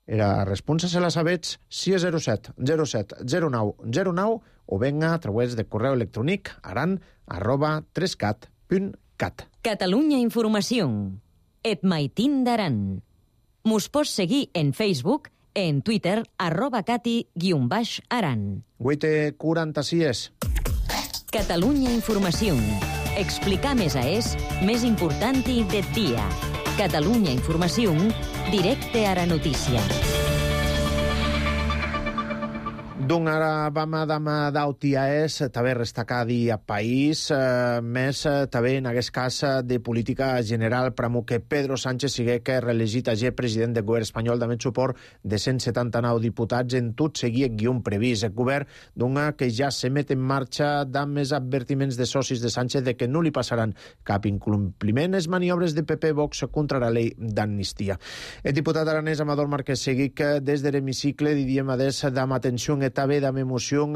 Era responsa se la sabets sis zero set zero set zero nou zero nou o venga a través de correu electrònic aran arroba tres cat punt cat. Catalunya Informació. Et maitín d'Aran. Mos pots seguir en Facebook, en Twitter, arroba cati guion baix aran. vuit quaranta-sis. Catalunya Informació. Explicar més a és més important del dia. Catalunya Informació, directe a la notícia. D'un ara vam a dama d'autia és també restacadi a país, eh, més eh, també en aquest cas de política general pramo que Pedro Sánchez sigue que reelegit a G president del govern espanyol amb suport de cent setanta-nou diputats en tot seguir guion previst. El govern d'una que ja se met en marxa amb més advertiments de socis de Sánchez de que no li passaran cap incompliment les maniobres de P P Vox contra la llei d'amnistia. El diputat aranès Amador Márquez Seguic des de l'hemicicle diríem adés d'am atenció et també d'am emoció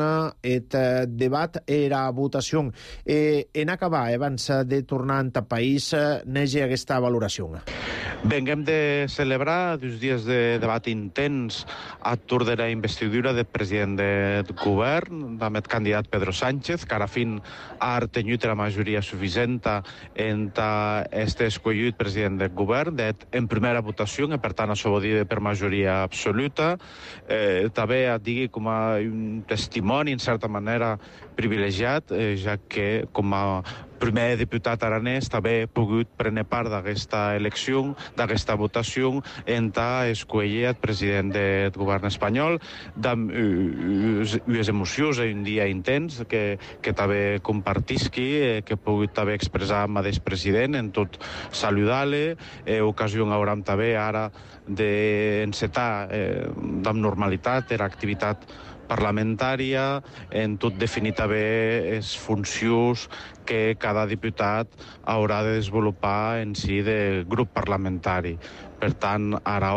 et debat era votació. Eh, en acabar, abans de tornar en ta país, nege aquesta valoració. Venguem de celebrar dos dies de debat intens a tour de la investidura del president del govern, amb el candidat Pedro Sánchez, que ara fin ha retenyut la majoria suficient en este escollit president del govern, en primera votació, i per tant això vol dir per majoria absoluta. Eh, també et digui com a un testimoni, en certa manera, privilegiat, eh, ja que com a primer diputat aranès també he pogut prendre part d'aquesta elecció, d'aquesta votació, en ta escollir el president del govern espanyol, amb unes emocions i un dia intens que, que també compartisqui, que he pogut també expressar amb el president, en tot saludar-le, eh, ocasió hauram també ara d'encetar eh, amb normalitat l'activitat parlamentària, en tot definir també les funcions que cada diputat haurà de desenvolupar en si de grup parlamentari. Per tant, ara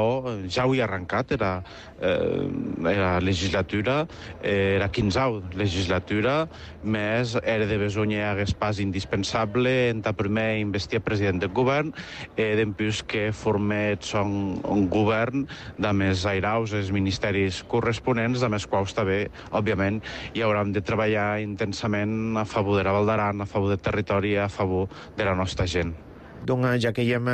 ja ho he arrencat, era, eh, era legislatura, eh, era quinzau legislatura, més era de besonyer hagués pas indispensable en ta primer investir president del govern, eh, d'empús que formets un, un govern de més airaus els ministeris corresponents, de més quals també, òbviament, hi haurem de treballar intensament a favor de la Val d'Aran, a favor del territori, a favor de la nostra gent. Doncs ja que hi hem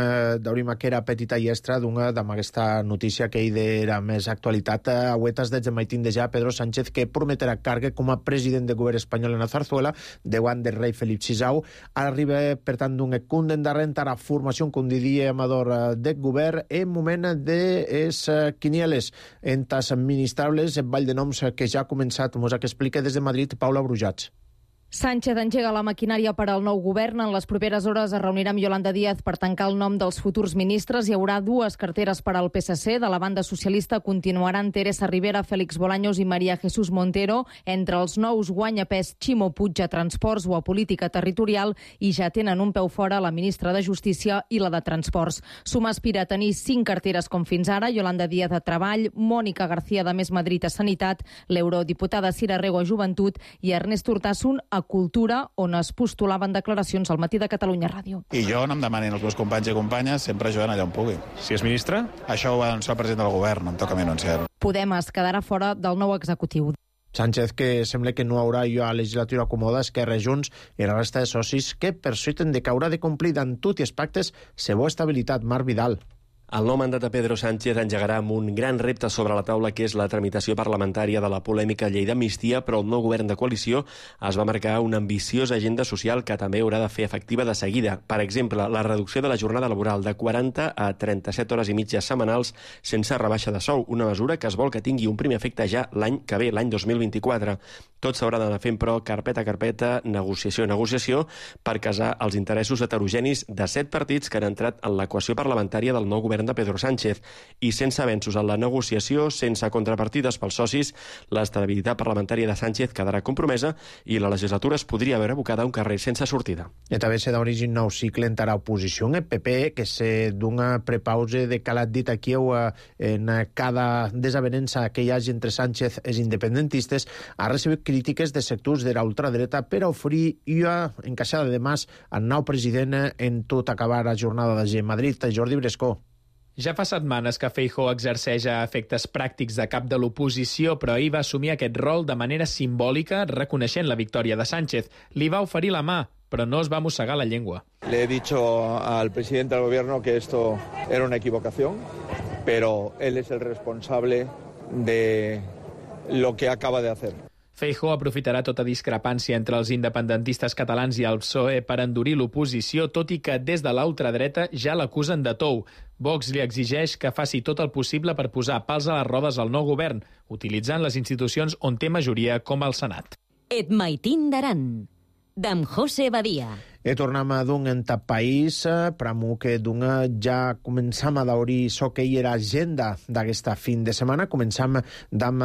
d'obrir que era petita i extra amb aquesta notícia que hi era més actualitat, auetes des de maitín de ja Pedro Sánchez que prometerà càrrec com a president del govern espanyol en la Zarzuela davant del rei Felip sisau. Arriba, per tant, d'un condemnament a la formació, com diria Amador, del govern en moment de les quinieles en tas administrables, el ball de noms que ja ha començat, mos ha que explica des de Madrid Paula Brujats. Sánchez engega la maquinària per al nou govern. En les properes hores es reunirà amb Yolanda Díaz per tancar el nom dels futurs ministres. Hi haurà dues carteres per al P S C. De la banda socialista continuaran Teresa Rivera, Félix Bolaños i María Jesús Montero. Entre els nous guanya pes Ximo Puig a Transports o a Política Territorial i ja tenen un peu fora la ministra de Justícia i la de Transports. Suma aspira a tenir cinc carteres com fins ara. Yolanda Díaz a Treball, Mònica García de Més Madrid a Sanitat, l'eurodiputada Cira Rego a Joventut i Ernest Urtasun a Cultura, on es postulaven declaracions al Matí de Catalunya Ràdio. I jo no em demanin els meus companys i companyes, sempre jugant allà on pugui. Si és ministre? Això ho va anunciar el president del govern, em toca a mi anunciar-ho. Podem es quedarà fora del nou executiu. Sánchez, que sembla que no haurà jo a legislatura acomoda, Esquerra, Junts i la resta de socis que persuiten de que haurà de complir d'en tot i els pactes seva estabilitat. Marc Vidal. El nou mandat de Pedro Sánchez engegarà amb un gran repte sobre la taula, que és la tramitació parlamentària de la polèmica llei d'amnistia, però el nou govern de coalició es va marcar una ambiciosa agenda social que també haurà de fer efectiva de seguida. Per exemple, la reducció de la jornada laboral de quaranta a trenta-set hores i mitja setmanals sense rebaixa de sou, una mesura que es vol que tingui un primer efecte ja l'any que ve, l'any dos mil vint-i-quatre. Tot s'haurà d'anar fent, però, carpeta a carpeta, negociació a negociació, per casar els interessos heterogenis de set partits que han entrat en l'equació parlamentària del nou govern de Pedro Sánchez. I sense avenços en la negociació, sense contrapartides pels socis, l'estabilitat parlamentària de Sánchez quedarà compromesa i la legislatura es podria veure abocada a un carrer sense sortida. I també se d'origen nou cicle entrarà oposició en el P P, que se d'una prepause de calat dit aquí o en cada desavenença que hi hagi entre Sánchez i els independentistes, ha recibit crítiques de sectors de la ultradreta per a oferir una encaixada de mas al nou president en tot acabar la jornada de Madrid. Jordi Brescó. Ja fa setmanes que Feijóo exerceix a efectes pràctics de cap de l'oposició, però ahir va assumir aquest rol de manera simbòlica, reconeixent la victòria de Sánchez. Li va oferir la mà, però no es va mossegar la llengua. Le he dicho al presidente del gobierno que esto era una equivocación, pero él es el responsable de lo que acaba de hacer. Feijóo aprofitarà tota discrepància entre els independentistes catalans i el P S O E per endurir l'oposició, tot i que des de la ultradreta ja l'acusen de tou. Vox li exigeix que faci tot el possible per posar pals a les rodes al nou govern, utilitzant les institucions on té majoria, com el Senat. Et maitin d'aran, d'en José Badia. E tornem a d'un en tap país, pramu que d'un ja començam a daurir so que hi era agenda d'aquesta fin de setmana. Començam d'am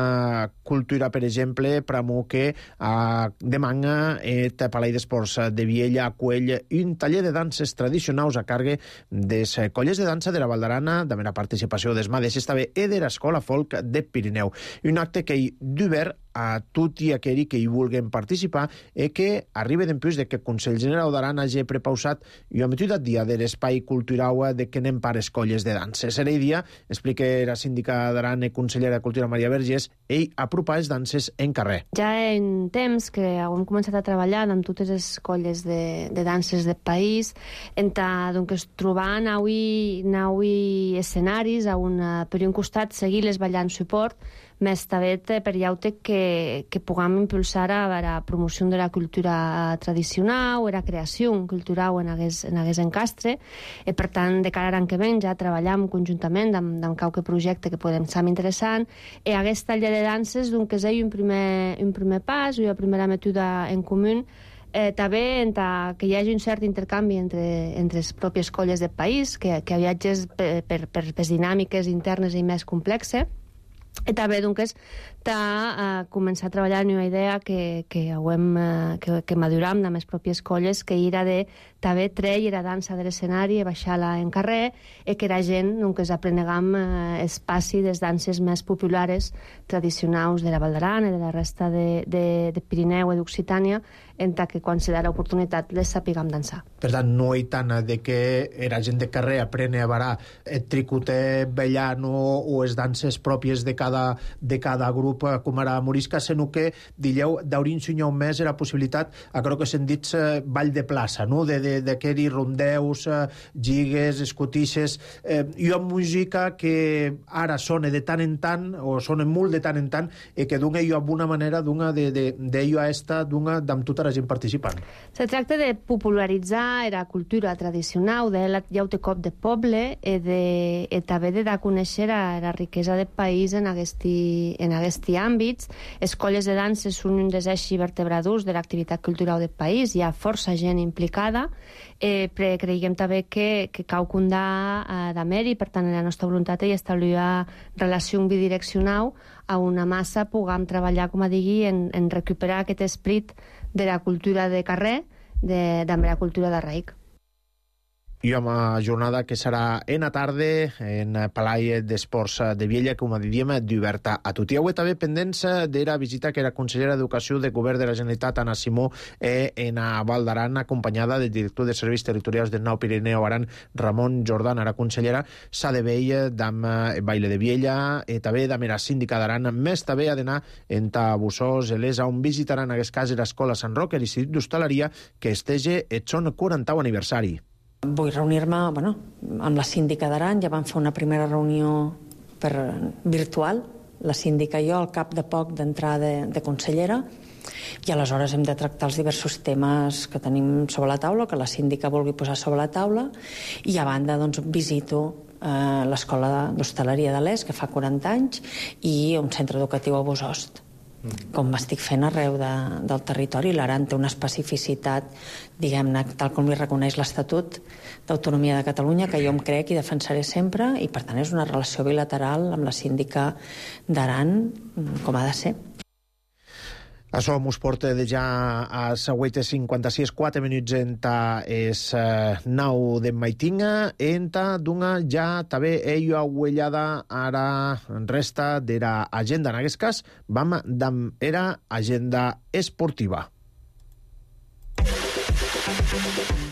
cultura, per exemple, pramu que a demanga et Palai d'Esports de Viella acuell un taller de danses tradicionals a càrrec des colles de dansa de la Val d'Arana, de mera participació des Mades, també e de l'Escola Folk de Pirineu. Un acte que hi d'obert a tot i aquells que hi vulguin participar i que arriba d'empús de que el Consell General d'Aran hagi prepausat i ha metut el dia de l'espai cultural de que anem per escolles de danses. Serà el dia, explica la síndica d'Aran i consellera de Cultura Maria Vergés, ell apropar les danses en carrer. Ja en temps que hem començat a treballar amb totes les colles de, de danses del país, en doncs, trobant avui, avui escenaris on per un costat seguir-les ballant suport, més també per llaute que, que puguem impulsar a la promoció de la cultura tradicional, la creació cultural en aquest, en aquest encastre. I, per tant, de cara a l'any que ve ja treballam conjuntament amb, amb qualque projecte que podem ser interessant. I aquest taller de danses doncs, que és un primer, un primer pas, una primera mètode en comú, Eh, també que hi hagi un cert intercanvi entre, entre les pròpies colles del país, que, que viatges per, per, per les dinàmiques internes i més complexes. I també, doncs, a començar a treballar en una idea que, que, hem, que, que maduram amb les pròpies colles, que era de també treure la dansa de l'escenari i baixar-la en carrer, i que la gent doncs, aprenegam espaci des danses més populars, tradicionals de la Val d'Aran i de la resta de, de, de Pirineu i d'Occitània, en que quan se da l'oportunitat les sapiguem dansar. Per tant, no hi tant de que la gent de carrer aprene a barar el tricoter bellano o les danses pròpies de cada, de cada grup, com ara Morisca, sinó que, digueu, d'haurir ensenyat més la possibilitat, a crec que s'han dit ball de plaça, no? de, de, d'aquells rondeus, gigues, escotisses, eh, i una música que ara sona de tant en tant, o sona molt de tant en tant, i que dona jo alguna manera d'una de, de, de jo a esta, d'una d'amb tota la gent participant. Se tracta de popularitzar la cultura tradicional de la llaute cop de poble i, de, i també de dar a conèixer la riquesa del país en aquesti, en aquests àmbits. Les colles de danses són un dels eixos vertebradors de l'activitat cultural del país, hi ha força gent implicada, eh, però creiem també que, que cal condar eh, d'amer i per tant la nostra voluntat és establir una relació bidireccional a una massa puguem treballar, com a digui, en, en recuperar aquest esprit de la cultura de carrer, de, de la cultura de raic. I amb la jornada que serà en la tarda en Palai d'Esports de Viella, com a diríem, d'oberta a tot. I avui també pendents de la visita que la consellera d'Educació del Govern de la Generalitat, Anna Simó, eh, en a Val d'Aran, acompanyada del director de Serveis Territorials del Nou Pirineu Aran, Ramon Jordan. La consellera s'ha de veure d'am Baile de Viella i també d'am la síndica d'Aran. Més també ha d'anar en Bussós, Elesa, on visitaran en aquest cas l'Escola Sant Roc i l'Institut d'Hostaleria, que estege el son quarantau aniversari. Vull reunir-me bueno, amb la síndica d'Aran. Ja vam fer una primera reunió per virtual, la síndica i jo, al cap de poc d'entrar de, de consellera, i aleshores hem de tractar els diversos temes que tenim sobre la taula, que la síndica vulgui posar sobre la taula, i a banda doncs, visito eh, l'Escola d'Hostaleria de l'Est, que fa quaranta anys, i un centre educatiu a Bosost, com m'estic fent arreu de, del territori. L'Aran té una especificitat, diguem-ne, tal com li reconeix l'Estatut d'Autonomia de Catalunya, que jo em crec i defensaré sempre, i per tant és una relació bilateral amb la síndica d'Aran, com ha de ser. Això mos porta de ja a següent cinquanta-sis, quatre minuts enta es uh, nau de maitinga, enta dunga ja també ella huellada ara resta de la agenda. En aquest cas, vam d'am era agenda esportiva.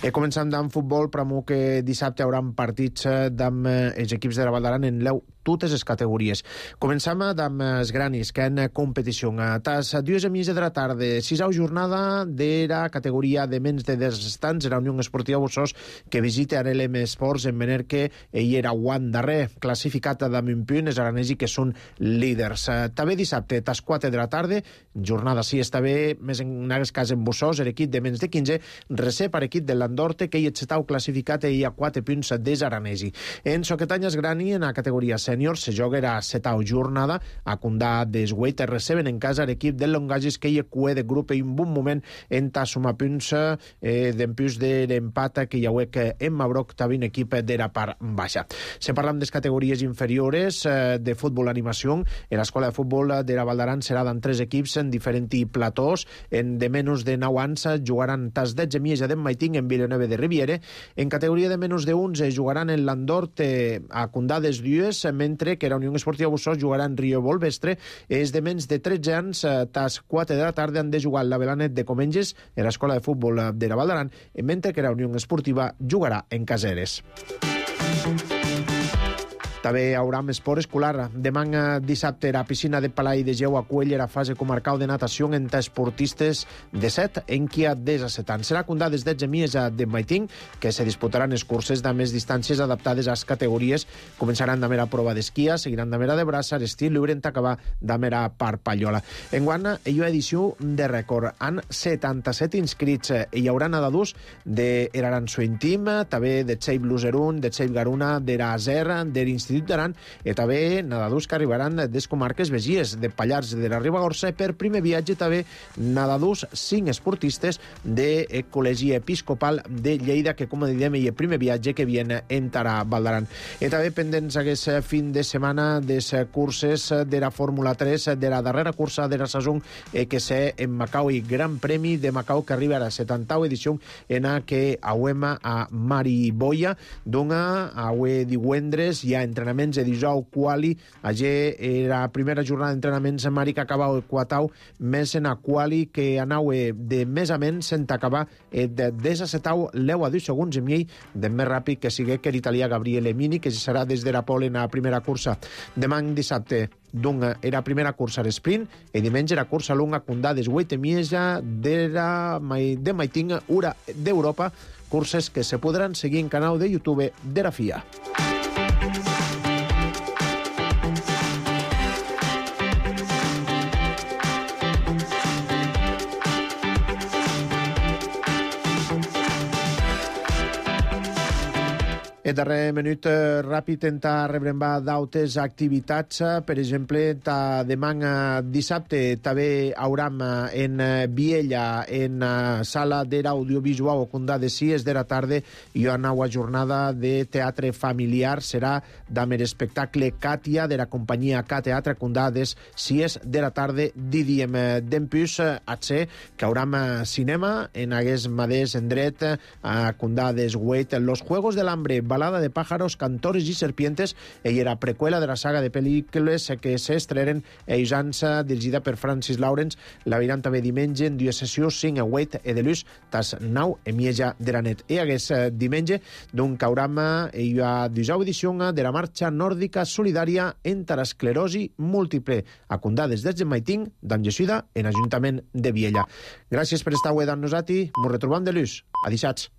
E començant amb futbol, pramo que dissabte hi haurà partits amb els equips de la Val d'Aran en l'eu totes les categories. Començam amb els granis, que en competició. Tas dues i mitja de la tarda, sisau jornada de la categoria de menys de deu estants, la Unió Esportiva Bossós, que visita a l'E M Esports en venir que ell era guant darrer, classificat amb un punt, els aranesi que són líders. També dissabte, tas quatre de la tarda, jornada sí, està bé, més en aquest cas en Bossós, l'equip de menys de quinze, recep per equip de l'Andorte, que ell estava classificat i hi ha quatre punts des aranesi. En Soquetanyes Grani, en la categoria sènior, se joga a setau jornada, a Condà d'Esgueit, receben en casa l'equip del Longagis, que hi ha cue de grup i un bon moment en ta sumar punts eh, d'empús de l'empat que hi ha que en Mabroc també un equip de la part baixa. Se parlam de les categories inferiores eh, de futbol animació, en l'escola de futbol de la Val d'Aran serà d'en tres equips en diferents platós, en de menys de nou anys jugaran tas dotze Mieja de Maiting en Vilanova de Riviere, en categoria de menys de onze jugaran en l'Andorte a Condà des Dues, mentre que la Unió Esportiva Bossós jugarà en Rio Volvestre. És de menys de tretze anys, tas quatre de la tarda han de jugar la Belanet de Comenges en l'escola de futbol de la Val d'Aran, mentre que la Unió Esportiva jugarà en Caseres. També hi haurà esport escolar. Demà dissabte la piscina de Palai de Geu acull la fase comarcal de natació entre esportistes de set en qui ha disset anys. Serà Condà des dotze Mieja de Maiting, que se disputaran els curses de més distàncies adaptades a les categories. Començaran de mera prova d'esquia, seguiran de mera de braça, estil lliure en acabar de mera parpallola. Enguany hi ha edició de rècord. Han setanta-set inscrits. Hi haurà nedadors de l'Arançó Intim, també de Txell Bluserun, de Txell Garuna, de l'Azer, de l'Institut d'Aran, i també nedadors que arribaran des comarques vegies, de Pallars de la Ribagorça, i per primer viatge també nedadors cinc esportistes del Col·legi Episcopal de Lleida, que com diem, hi ha primer viatge que viene en Tara Val d'Aran. I també pendents aquest fin de setmana des curses de la Fórmula tres, de la darrera cursa de la saison que sé en Macau, i Gran Premi de Macau, que arriba a la setantau edició en la que auem a Mariboia, dona avui divendres hi ha entrenaments de dijous quali, allà era la primera jornada d'entrenaments a Mari que acabau el quatau, més en a quali que anau de més a menys en acabar de desasetau l'eu a deu segons i mig de més ràpid que sigue que l'italià Gabriele Mini, que serà des de la pole en la primera cursa. Demà dissabte dunga era primera cursa l'esprint i diumenge era cursa lunga Condà d'Esgueit Mieja de la de Maiting Ura d'Europa, curses que se podran seguir en canal de YouTube de la F I A. Aquest darrer minut eh, ràpid enta rebrembar d'autes activitats, eh, per exemple, ta demà dissabte també hauram en Viella, en uh, sala d'era audiovisual o condà de sis de la tarda i una nova jornada de teatre familiar serà amb l'espectacle Càtia de la companyia K Teatre condà des sis de la tarda di diem d'empús a ser que hauram cinema en hagués madés en dret a condà des Wait, Los Juegos del Hambre, Balada de pájaros, Cantores i serpientes, i era preqüela de la saga de pel·lícules que s'estrenen a Isança, dirigida per Francis Lawrence. La veiran també diumenge en dues sessions, cinc a Wait e de l'ús, tas nau e mieja de la net. I hagués diumenge d'un cauram i a dusau edició de la marxa nòrdica solidària entre l'esclerosi múltiple, a condades des de Maiting, d'Angesuida, en Ajuntament de Viella. Gràcies per estar avui amb nosaltres. Ens retrobam de l'ús. Adixats.